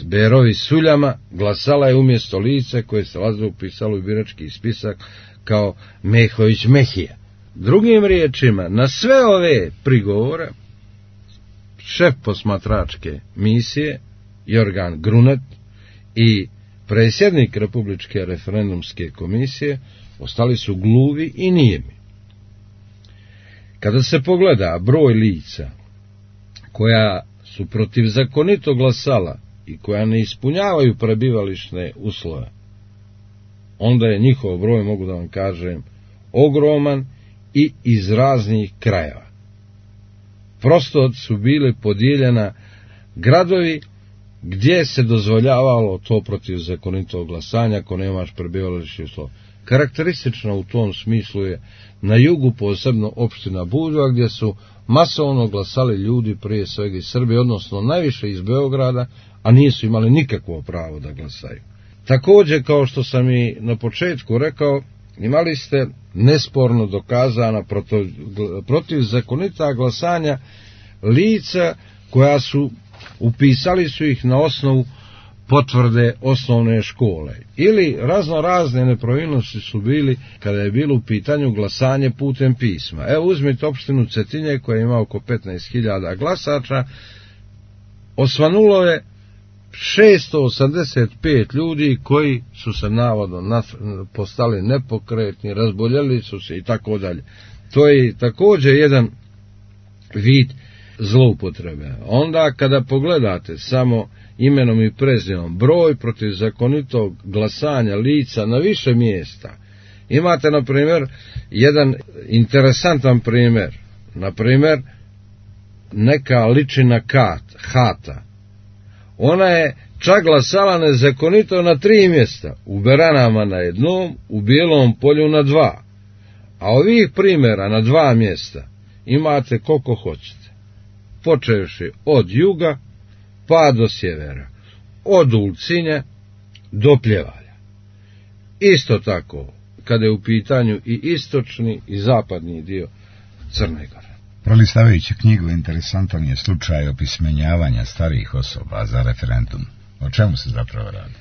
Berovi Suljama glasala je umjesto lica koje se lažno upisalo u birački spisak kao Mehović Mehija. Drugim riječima, na sve ove prigovore šef posmatračke misije Jorgan Grunet i predsjednik Republičke referendumske komisije ostali su gluvi i nijemi. Kada se pogleda broj lica koja su protivzakonito glasala i koja ne ispunjavaju prebivališne uslove, onda je njihov broj, mogu da vam kažem, ogroman i iz raznih krajeva. Prosto su bili podijeljena gradovi gdje se dozvoljavalo to protivzakonito glasanje ako nemaš prebivališne uslove. Karakteristično u tom smislu je na jugu, posebno opština Budva, gdje su masovno glasali ljudi prije svega iz Srbije, odnosno najviše iz Beograda, a nisu imali nikakvo pravo da glasaju. Također, kao što sam i na početku rekao, imali ste nesporno dokazana protivzakonita glasanja lica koja su, upisali su ih na osnovu potvrde osnovne škole. Ili razne nepravilnosti su bili kada je bilo u pitanju glasanje putem pisma. Evo uzmite opštinu Cetinje koja ima oko 15.000 glasača, osvanulo je 685 ljudi koji su se navodno postali nepokretni, razboljeli su se i tako dalje. To je također jedan vid zloupotrebe. Onda kada pogledate samo imenom i prezimenom broj protivzakonitog glasanja lica na više mjesta, imate na primjer jedan interesantan primjer, na primjer neka ličina Hata. Ona je čak glasala nezakonito na 3 mjesta, u Beranama na 1, u Bijelom Polju na 2, a ovih primjera na 2 mjesta imate koliko hoćete, počevši od juga pa do sjevera, od Ulcinja do Pljevalja. Isto tako, kada je u pitanju i istočni i zapadni dio Crne Gore. Prolistavajući knjigu, interesantan je slučaj opismenjavanja starijih osoba za referendum. O čemu se zapravo radi?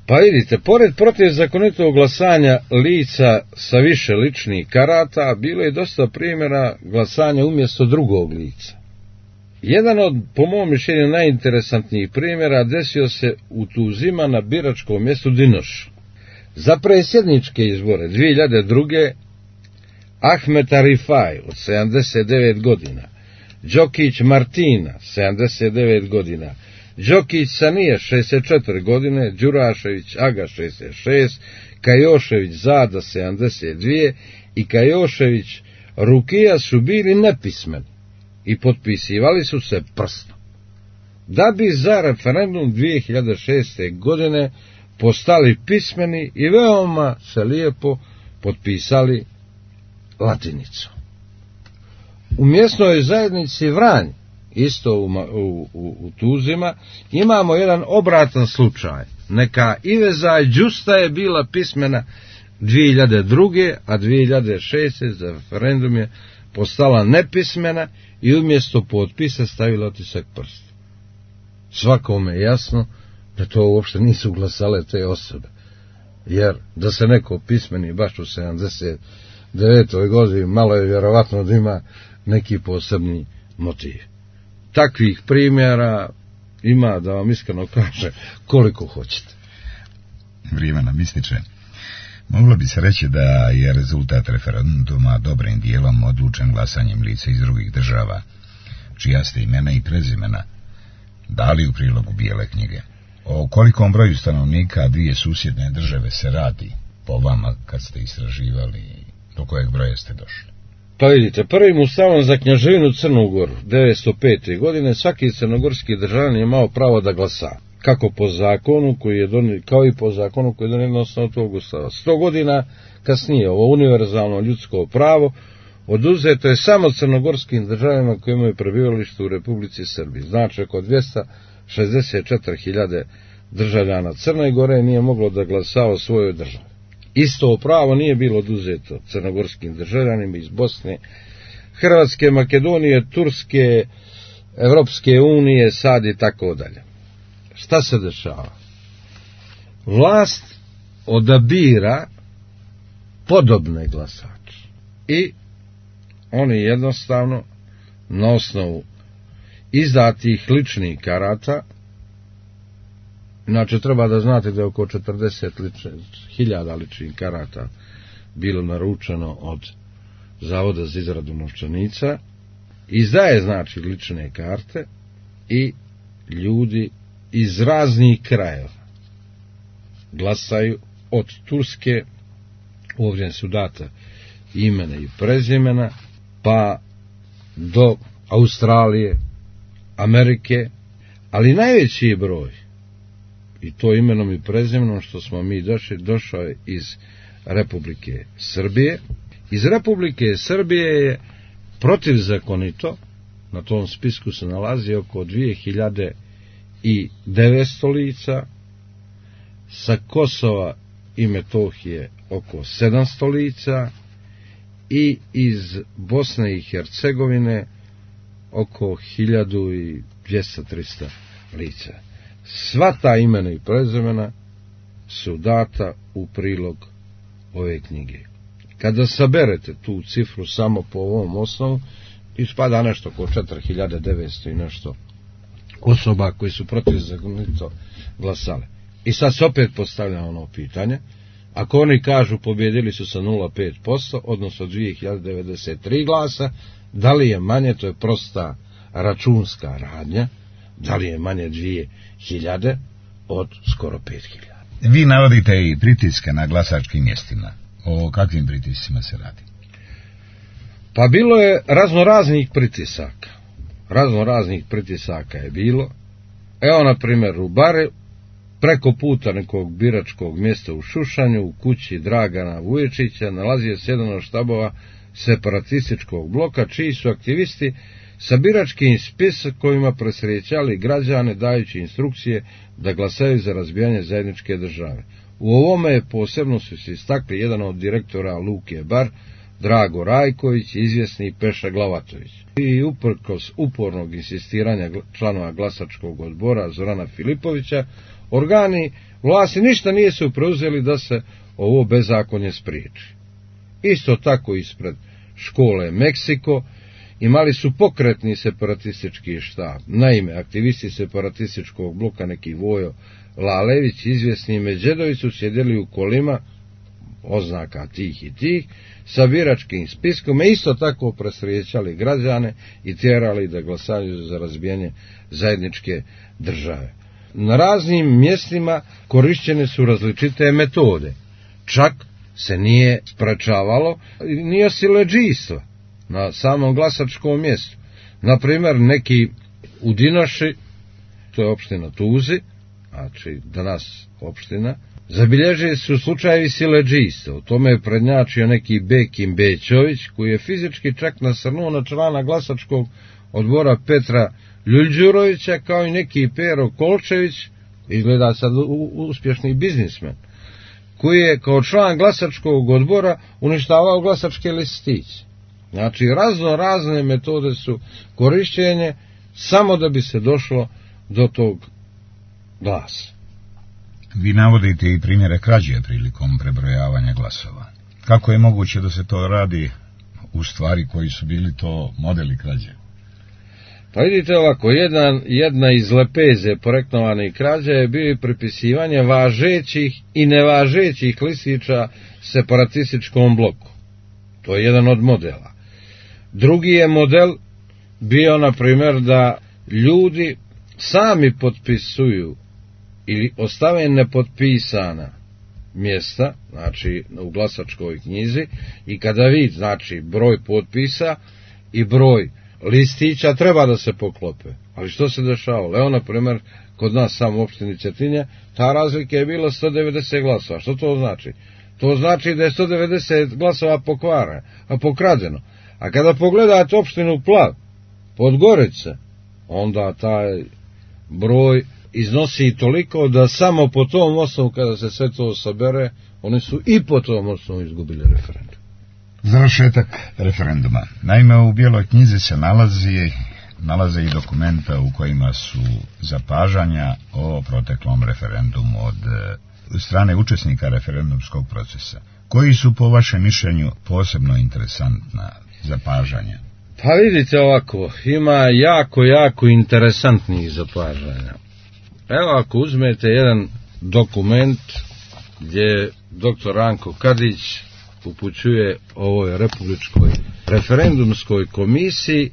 Pa vidite, pored protivzakonitog glasanja lica sa više ličnih karata, bilo je dosta primjera glasanja umjesto drugog lica. Jedan od, po mom mišljenju, najinteresantnijih primjera desio se u Tuzima na biračkom mjestu Dinoš. Za predsjedničke izbore 2002. Ahmet Arifaj od 79 godina, Đokić Martina 79 godina, Đokić Sanija 64 godine, Đurašević Aga 66, Kajošević Zada 72 i Kajošević Rukija su bili nepismeni i potpisivali su se prstom, da bi za referendum 2006. godine postali pismeni i veoma se lijepo potpisali latinicom. U mjesnoj zajednici Vranj, isto u Tuzima, imamo jedan obratan slučaj. Neka Iveza Đusta je bila pismena 2002. a 2006. za referendum je postala nepismena i umjesto potpisa stavila otisak prsta. Svakome je jasno da to uopšte nisu glasale te osobe. Jer da se neko pismeni baš u 79. godini, malo je vjerovatno da ima neki posebni motiv. Takvih primjera ima, da vam iskreno kaže, koliko hoćete. Vrijeme nam ističe. Moglo bi se reći da je rezultat referenduma dobrim dijelom odlučen glasanjem lica iz drugih država, čija ste imena i prezimena dali u prilogu Bijele knjige. O kolikom broju stanovnika dvije susjedne države se radi po vama kad ste istraživali, do kojeg broja ste došli? Pa vidite, prvim Ustavom za Knjaževinu Crnu Goru 905. godine svaki crnogorski državljanin je imao pravo da glasa, kako po zakonu koji je donijet, kao i po zakonu koji je donijet na osnovu tog Ustava. 100 godina kasnije ovo univerzalno ljudsko pravo oduzeto je samo crnogorskim državljanima koji imaju prebivalište u Republici Srbiji. Znači, oko 264.000 državljana Crne Gore nije moglo da glasa o svojoj državi. Isto pravo nije bilo oduzeto crnogorskim državljanima iz Bosne, Hrvatske, Makedonije, Turske, Evropske unije, sad i tako dalje. Šta se dešava? Vlast odabira podobne glasače i oni jednostavno na osnovu izdatih ličnih karata, znači treba da znate da je oko 40.000 ličnih karata bilo naručeno od Zavoda za izradu novčanica, izdaje znači lične karte i ljudi iz raznih krajeva glasaju od Turske, ovdje su data imena i prezimena, pa do Australije, Amerike, ali najveći broj, i to imenom i prezimenom što smo mi došao je iz Republike Srbije. Iz Republike Srbije je protivzakonito, na tom spisku se nalazi oko 2900 lica, sa Kosova i Metohije oko 700 lica i iz Bosne i Hercegovine oko 1200-300 lica. Sva ta imena i prezimena su data u prilog ove knjige. Kada saberete tu cifru samo po ovom osnovu, ispada nešto oko 4900 i nešto osoba koji su protivzakonito glasale. I sad se opet postavlja ono pitanje, ako oni kažu pobjedili su sa 0,5%, odnosno 2093 glasa, da li je manje, to je prosta računska radnja, da li je manje 2000 od skoro 5000? Vi navodite i pritiske na glasačkim mjestima. O kakvim pritiscima se radi? Pa bilo je raznoraznih pritisaka. Raznoraznih pritisaka je bilo. Evo, na primjer, u Bare, preko puta nekog biračkog mjesta u Šušanju, u kući Dragana Vuječića, nalazio se jedan od štabova separatističkog bloka, čiji su aktivisti sa biračkim spiskovima presrećali građane, dajući instrukcije da glasaju za razbijanje zajedničke države. U ovome posebno su se istakli jedan od direktora Luke Bar, Drago Rajković, izvjesni Peša Glavatović. I uprkos upornog insistiranja članova glasačkog odbora Zorana Filipovića, organi vlasti ništa nisu preuzeli da se ovo bezakonje spriječi. Isto tako ispred škole Meksiko imali su pokretni separatistički štab. Naime, aktivisti separatističkog bloka, neki Vojo Lalević, izvjesni Međedović, su sjedili u kolima oznaka tih i tih, sa biračkim spiskom, isto tako presrijećali građane i tjerali da glasaju za razbijanje zajedničke države. Na raznim mjestima korišćene su različite metode. Čak se nije sprečavalo ni siledžijstva na samom glasačkom mjestu. Naprimjer, neki u Dinoši, to je opština Tuzi, znači danas opština, zabilježili su slučajevi siledžijstva. U tome je prednjačio neki Bekim Bećović, koji je fizički čak nasrnuo na člana glasačkog odbora Petra Ljuljđurovića, kao i neki Pero Kolčević, izgleda sad uspješni biznismen, koji je kao član glasačkog odbora uništavao glasačke listiće. Znači, razne metode su korišćenje samo da bi se došlo do tog glasa. Vi navodite i primjere krađe prilikom prebrojavanja glasova. Kako je moguće da se to radi u stvari koji su bili to modeli krađe? Pa vidite ovako, jedna iz lepeze poreknovanih krađa je bio pripisivanje važećih i nevažećih listića separatističkom bloku. To je jedan od modela. Drugi je model bio, na primjer, da ljudi sami potpisuju ili ostave nepotpisana mjesta, znači u glasačkoj knjizi, i kada vidi, znači, broj potpisa i broj listića treba da se poklope. Ali što se dešavalo? Evo, na primjer, kod nas samo u opštini Cetinje, ta razlika je bila 190 glasova. Što to znači? To znači da je 190 glasova pokrađeno. A kada pogledate opštinu Plav, Podgorice, onda taj broj iznosi toliko da samo po tom osnovu, kada se sve to sabere, oni su i po tom osnovu izgubili referendum. Završetak referenduma. Naime, u Bijeloj knjizi se nalaze i dokumenta u kojima su zapažanja o proteklom referendumu od strane učesnika referendumskog procesa. Koji su po vašem mišljenju posebno interesantna zapažanja? Pa vidite ovako, ima jako interesantnih zapažanja. Evo, ako uzmete jedan dokument gdje dr. Ranko Kadić upućuje ovoj Republičkoj referendumskoj komisiji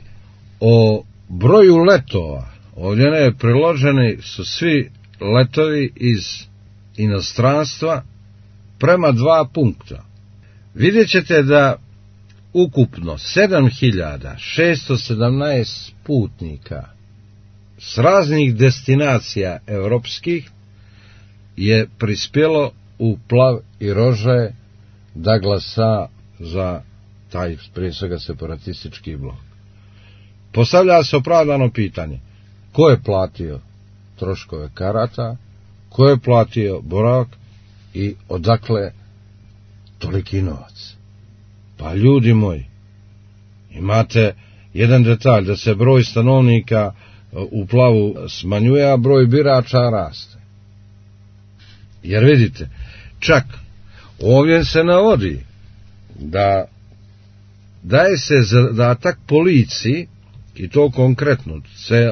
o broju letova. Ovdje ne priloženi su svi letovi iz inostranstva prema 2 punkta. Vidjet ćete da ukupno 7617 putnika s raznih destinacija europskih je prispjelo u Plav i Rožaje da glasa za taj, prije svega, separatistički blok. Postavlja se opravdano pitanje: ko je platio troškove karata, ko je platio boravak i odakle toliki novac? Pa ljudi moji, imate jedan detalj, da se broj stanovnika u Plavu smanjuje, a broj birača raste. Jer vidite, čak ovdje se navodi da daje se zadatak policiji, i to konkretno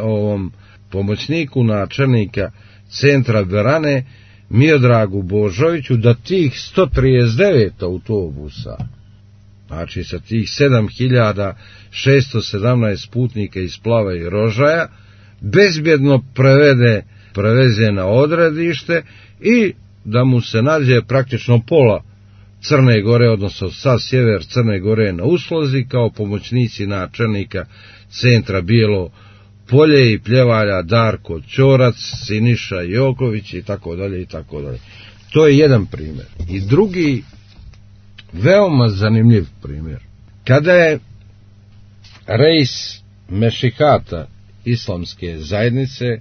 ovom pomoćniku načelnika centra Berane Miodragu Božoviću, da tih 139 autobusa, znači sa tih 7617 putnika iz Plava i Rožaja, bezbjedno preveze na odredište i da mu se nađe praktično pola Crne Gore, odnosno sa sjever Crne Gore na usluzi, kao pomoćnici načelnika centra Bijelo Polje i Pljevalja Darko Ćorac, Siniša Joković i tako dalje i tako dalje. To je jedan primjer. I drugi veoma zanimljiv primjer. Kada je reis Mešihata islamske zajednice,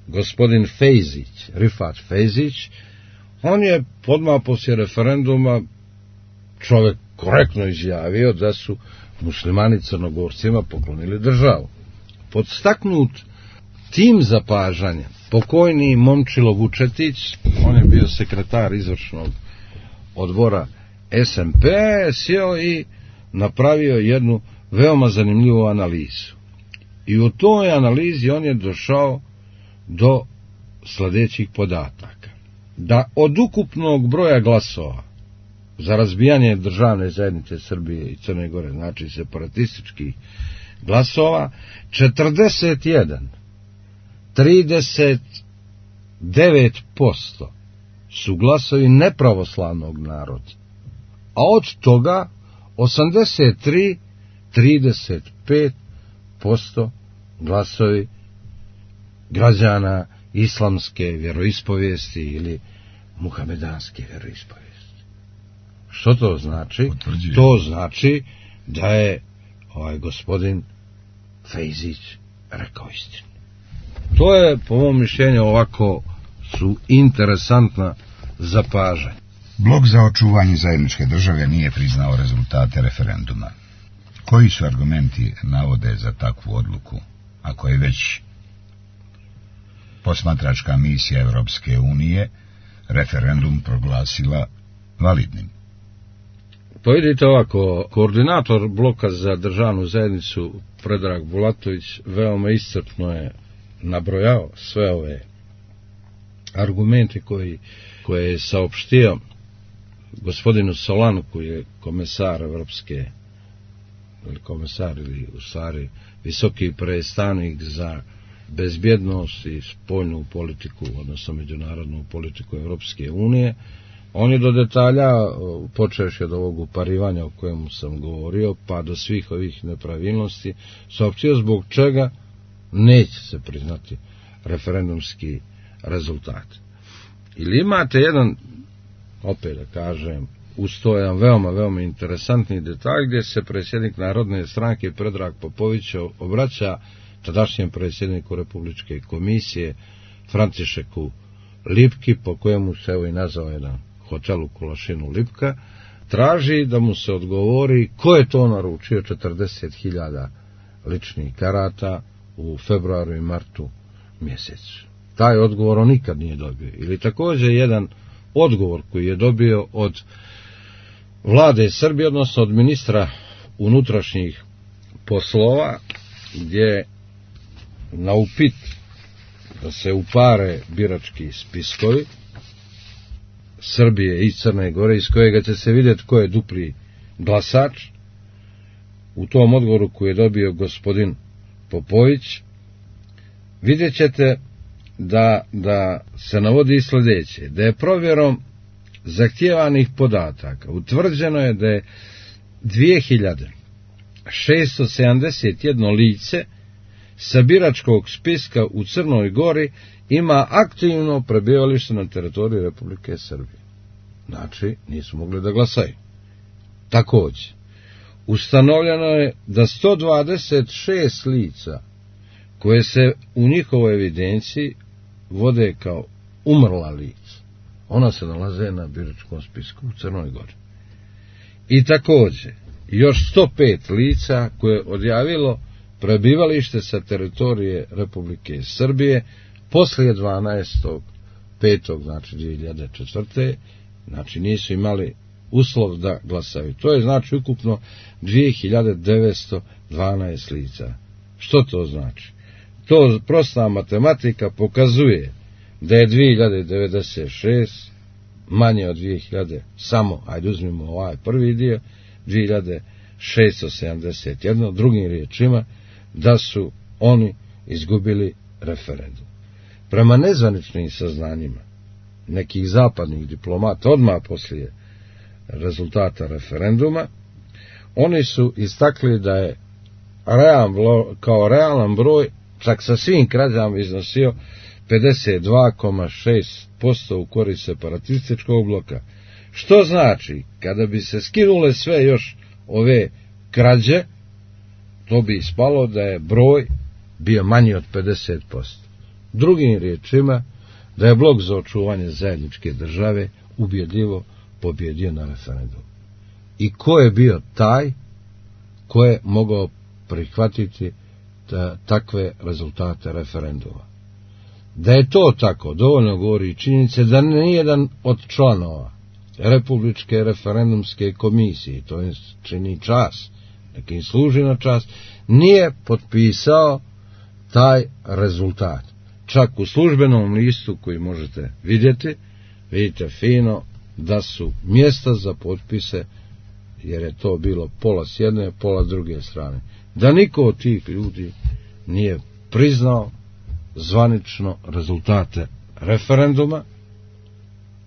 gospodin Fejzić, Rifat Fejzić, On je odmah poslije referenduma čovjek korektno izjavio da su muslimani Crnogorcima poklonili državu. Podstaknut tim zapažanja, pokojni Momčilo Vučetić, on je bio sekretar izvršnog odbora SMP, sjeo i napravio jednu veoma zanimljivu analizu. I u toj analizi on je došao do sljedećih podataka. Da od ukupnog broja glasova za razbijanje državne zajednice Srbije i Crne Gore, znači separatističkih glasova, 39% su glasovi nepravoslavnog naroda, a od toga 35% glasovi građana islamske vjeroispovijesti ili muhamedanske vjeroispovijesti. Što to znači? Potvrđujem. To znači da je ovaj gospodin Fejzić rekao istinu. To je, po mom mišljenju, ovako su interesantna zapažanja. Blok za očuvanje zajedničke države nije priznao rezultate referenduma. Koji su argumenti navode za takvu odluku, ako je već posmatračka misija Europske unije referendum proglasila validnim? Pa vidite ovako, koordinator bloka za državnu zajednicu Predrag Bulatović veoma iscrpno je nabrojao sve ove argumente koje je saopštio gospodinu Solanu, koji je komesar Evropske, ili u stvari visoki predstavnik za bezbjednost i spoljnu politiku, odnosno međunarodnu politiku Evropske unije. On je do detalja, počevši od ovog uparivanja o kojemu sam govorio, pa do svih ovih nepravilnosti, saopštio zbog čega neće se priznati referendumski rezultat. Ili imate jedan, opet da kažem, ustojan veoma interesantni detalj gdje se predsjednik Narodne stranke Predrag Popović obraća tadašnjem predsjedniku Republičke komisije Františeku Lipki, po kojemu se evo i nazvao jedan hotel u Kulašinu Lipka, traži da mu se odgovori ko je to naručio 40.000 ličnih karata u februaru i martu mjesecu. Taj odgovor on nikad nije dobio. Ili također jedan odgovor koji je dobio od vlade Srbije, odnosno od ministra unutrašnjih poslova, gdje na upit da se upare birački spiskovi Srbije i Crne Gore, iz kojega će se vidjeti ko je dupli glasač, u tom odgovoru koji je dobio gospodin Popović, vidjet ćete da se navodi sljedeće, da je provjerom zahtjevanih podataka utvrđeno je da je 2671 lice sa biračkog spiska u Crnoj Gori ima aktivno prebivalište na teritoriji Republike Srbije. Znači, nisu mogli da glasaju. Također, ustanovljeno je da 126 lica koje se u njihovoj evidenciji vode kao umrla lica, ona se nalaze na biračkom spisku u Crnoj Gori. I također, još 105 lica koje je odjavilo prebivalište sa teritorije Republike Srbije poslije 12.5. znači 2004. znači nisu imali uslov da glasaju. To je znači ukupno 2912 lica. Što to znači? To prosta matematika pokazuje da je 2096 manje od 2000, samo, ajde uzmimo ovaj prvi dio, 2671, drugim riječima, da su oni izgubili referendum. Prema nezvaničnim saznanjima nekih zapadnih diplomata odmah poslije rezultata referenduma, oni su istakli da je kao realan broj, čak sa svim krađama, iznosio 52,6% u korist separatističkog bloka. Što znači, kada bi se skinule sve još ove krađe, to bi ispalo da je broj bio manji od 50%. Drugim riječima, da je Blok za očuvanje zajedničke države ubjedljivo pobjedio na referendumu. I ko je bio taj ko je mogao prihvatiti takve rezultate referenduma? Da je to tako, dovoljno govori činjenice da nijedan od članova Republičke referendumske komisije, to im čini čast, nek im služi na čast, nije potpisao taj rezultat. Čak u službenom listu koji možete vidjeti, vidite fino da su mjesta za potpise, jer je to bilo pola s jedne, pola s druge strane. Da niko od tih ljudi nije priznao zvanično rezultate referenduma.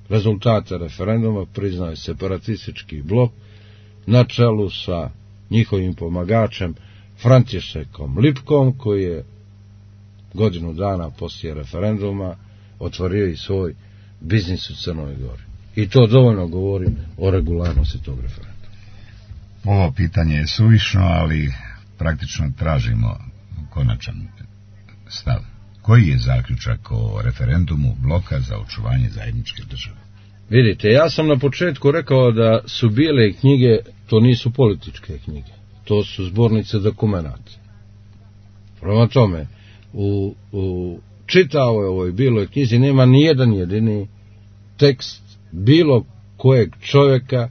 Rezultate referenduma priznao je separatistički blok na čelu sa njihovim pomagačem Františekom Lipkom, koji je godinu dana poslije referenduma otvorio i svoj biznis u Crnoj Gori. I to dovoljno govori o regularnosti tog referenduma. Ovo pitanje je suvišno, ali praktično tražimo konačan stav. Koji je zaključak o referendumu Bloka za očuvanje zajedničke države? Vidite, ja sam na početku rekao da su bijele knjige, to nisu političke knjige, to su zbornice dokumenata. Prema tome, u čitavoj ovoj bijeloj knjizi nema nijedan jedini tekst bilo kojeg čovjeka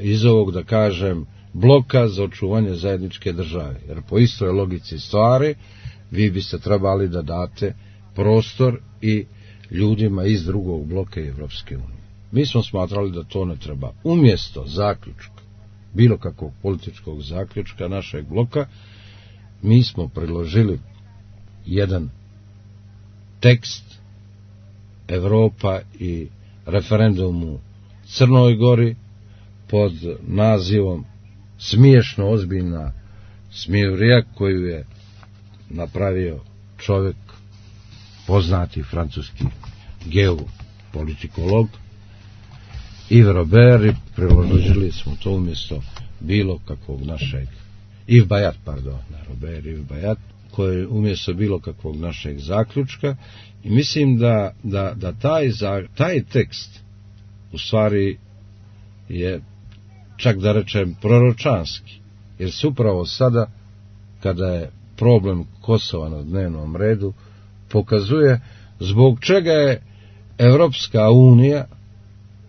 iz ovog, da kažem, Bloka za očuvanje zajedničke države. Jer po istoj logici stvari vi biste trebali da date prostor i ljudima iz drugog bloka i Evropske unije. Mi smo smatrali da to ne treba. Umjesto zaključka, bilo kakvog političkog zaključka našeg bloka, mi smo priložili jedan tekst Evropa i referendum u Crnoj Gori pod nazivom Smiješno ozbiljna smijurija, koju je napravio čovjek, poznati francuski geopolitikolog Yves Robert, i priložili smo to umjesto bilo kakvog našeg Yves Bayat, Yves Bayat, koji je umjesto bilo kakvog našeg zaključka, i mislim da taj tekst u stvari je, čak da rečem, proročanski, jer se upravo sada, kada je problem Kosova na dnevnom redu, pokazuje zbog čega je Evropska unija,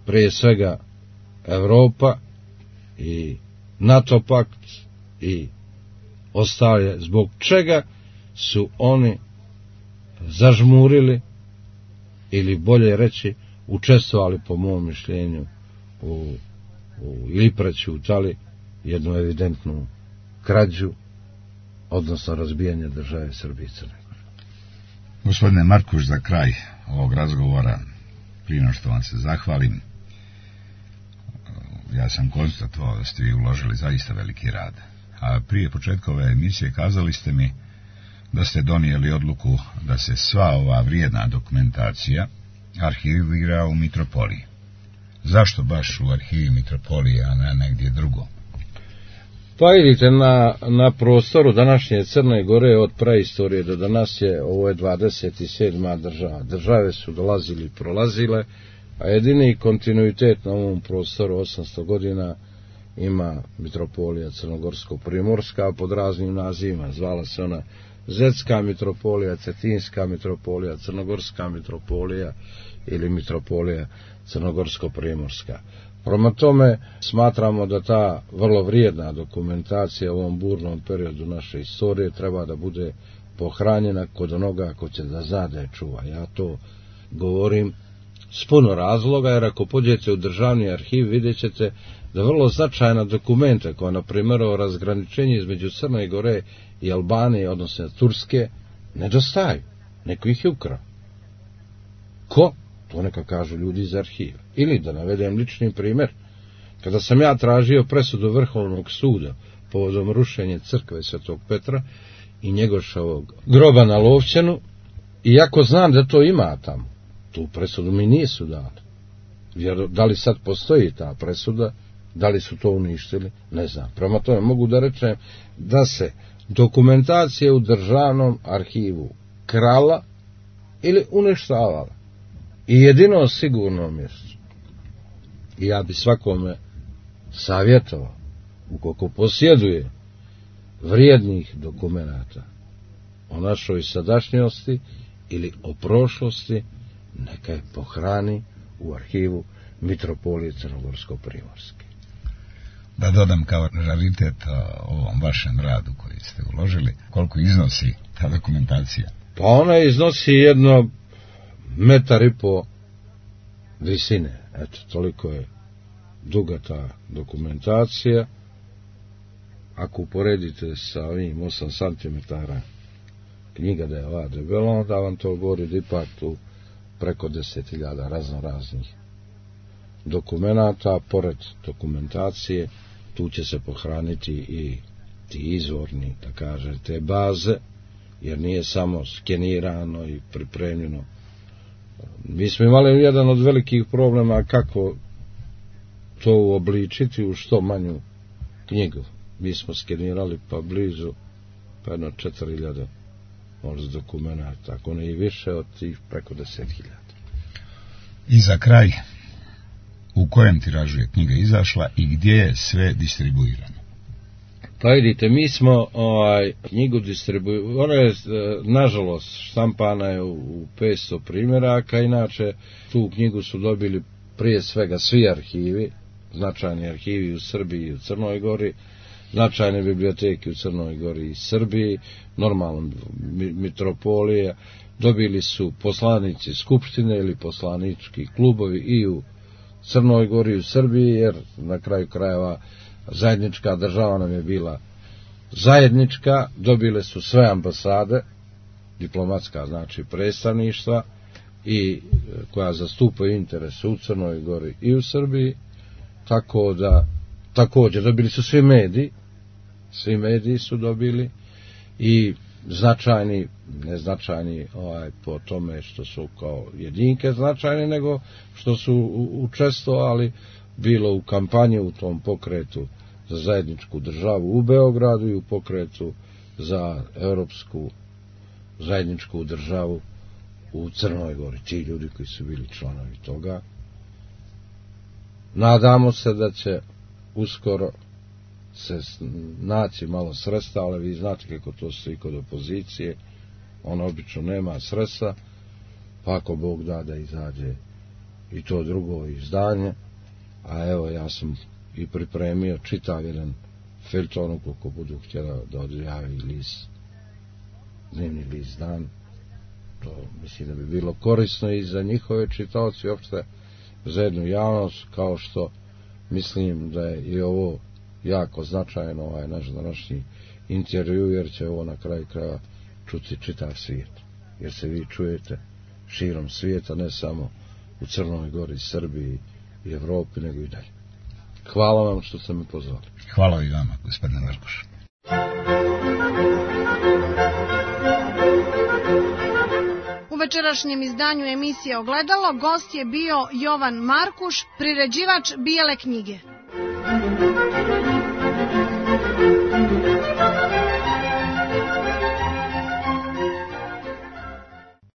prije svega Evropa i NATO pakt i ostale, zbog čega su oni zažmurili, ili bolje reći učestvovali, po mom mišljenju, ili prećutali jednu evidentnu krađu, odnosno razbijanje države Srbije i Crne Gore. Gospodine Markuš, za kraj ovog razgovora, prije no što vam se zahvalim, ja sam konstatovao da ste vi uložili zaista veliki rad. A prije početka ove emisije kazali ste mi da ste donijeli odluku da se sva ova vrijedna dokumentacija arhivira u Mitropoliji. Zašto baš u arhivi Mitropolije, a ne negdje drugo? Pa vidite, na prostoru današnje Crne Gore od praistorije do danas ovo je 27. država. Države su dolazili i prolazile, a jedini kontinuitet na ovom prostoru 800 godina ima Mitropolija Crnogorsko-Primorska pod raznim nazivima. Zvala se ona Zetska Mitropolija, Cetinska Mitropolija, Crnogorska Mitropolija ili Mitropolija Crnogorsko-Primorska. Prema tome, smatramo da ta vrlo vrijedna dokumentacija u ovom burnom periodu naše istorije treba da bude pohranjena kod onoga ko će da zna da je čuva. Ja to govorim s puno razloga, jer ako pođete u državni arhiv vidjet ćete da vrlo značajna dokumenta, koja na primjer o razgraničenju između Crne Gore i Albanije, odnosno Turske, nedostaju. Neko ih je ukrao. Ko? To neka kažu ljudi iz arhiva. Ili da navedem lični primjer. Kada sam ja tražio presudu Vrhovnog suda povodom rušenja crkve Svetog Petra i Njegoševog groba na Lovćenu, iako znam da to ima tamo, tu presudu mi nisu dali. Jer da li sad postoji ta presuda, da li su to uništili, ne znam. Prema tome mogu da rečem da se dokumentacija u državnom arhivu krala ili uništavala. i jedino sigurno mjesto. I ja bi svakome savjetovao, ukoliko posjeduje vrijednih dokumenata o našoj sadašnjosti ili o prošlosti, neka je pohrani u arhivu Mitropolije Crnogorsko-Primorske. Da dodam kao raritet o ovom vašem radu koji ste uložili, koliko iznosi ta dokumentacija? Pa ona iznosi jedno 1,5 metra visine. Eto, toliko je duga ta dokumentacija. Ako uporedite sa ovim 8 cm knjiga da je ova debela, onda vam to govori da ipak tu preko 10.000 raznoraznih dokumenata. Pored dokumentacije tu će se pohraniti i ti izvorni, da kažete, baze, jer nije samo skenirano i pripremljeno. Mi smo imali jedan od velikih problema kako to uobličiti u što manju knjigu. Mi smo skenirali pa blizu, pa jedno 4.000 možda dokumenata, ako ne i više od tih preko 10.000. I za kraj, u kojem tiražu je knjiga izašla i gdje je sve distribuirano? Pa vidite, mi smo knjigu distribuirali, ona je, nažalost, štampana je u 500 primjeraka, inače tu knjigu su dobili prije svega svi arhivi, značajni arhivi u Srbiji i u Crnoj Gori, značajne biblioteke u Crnoj Gori i Srbiji, normalno Mitropolija, dobili su poslanici skupštine ili poslanički klubovi i u Crnoj Gori i u Srbiji, jer na kraju krajeva zajednička država nam je bila zajednička, dobile su sve ambasade, diplomatska znači predstavništva, i koja zastupaju interese u Crnoj Gori i u Srbiji, tako da također dobili su svi mediji su dobili, i značajni, neznačajni po tome što su kao jedinke značajni, nego što su učestvovali bilo u kampanji u tom pokretu za zajedničku državu u Beogradu i u pokretu za europsku zajedničku državu u Crnoj Gori. Ti ljudi koji su bili članovi toga. Nadamo se da će uskoro se naći malo sredstva, ali vi znate kako to stoji kod opozicije, on obično nema sredstva, pa ako Bog da da izađe i to drugo izdanje, a evo ja sam i pripremio čitav jedan feljton, ukoliko budu htjela da odjavi list, dnevni list Dan, to mislim da bi bilo korisno i za njihove čitaoci, uopšte za jednu javnost, kao što mislim da je i ovo jako značajno, naš današnji intervju, jer će ovo na kraju kraja čuti čitav svijet, jer se vi čujete širom svijeta, ne samo u Crnoj Gori, Srbiji i Evropi, nego i dalje. Hvala vam što ste me pozvali. Hvala i vama, gospodine Markuš. U večerašnjem izdanju emisije Ogledalo gost je bio Jovan Markuš, priređivač Bijele knjige.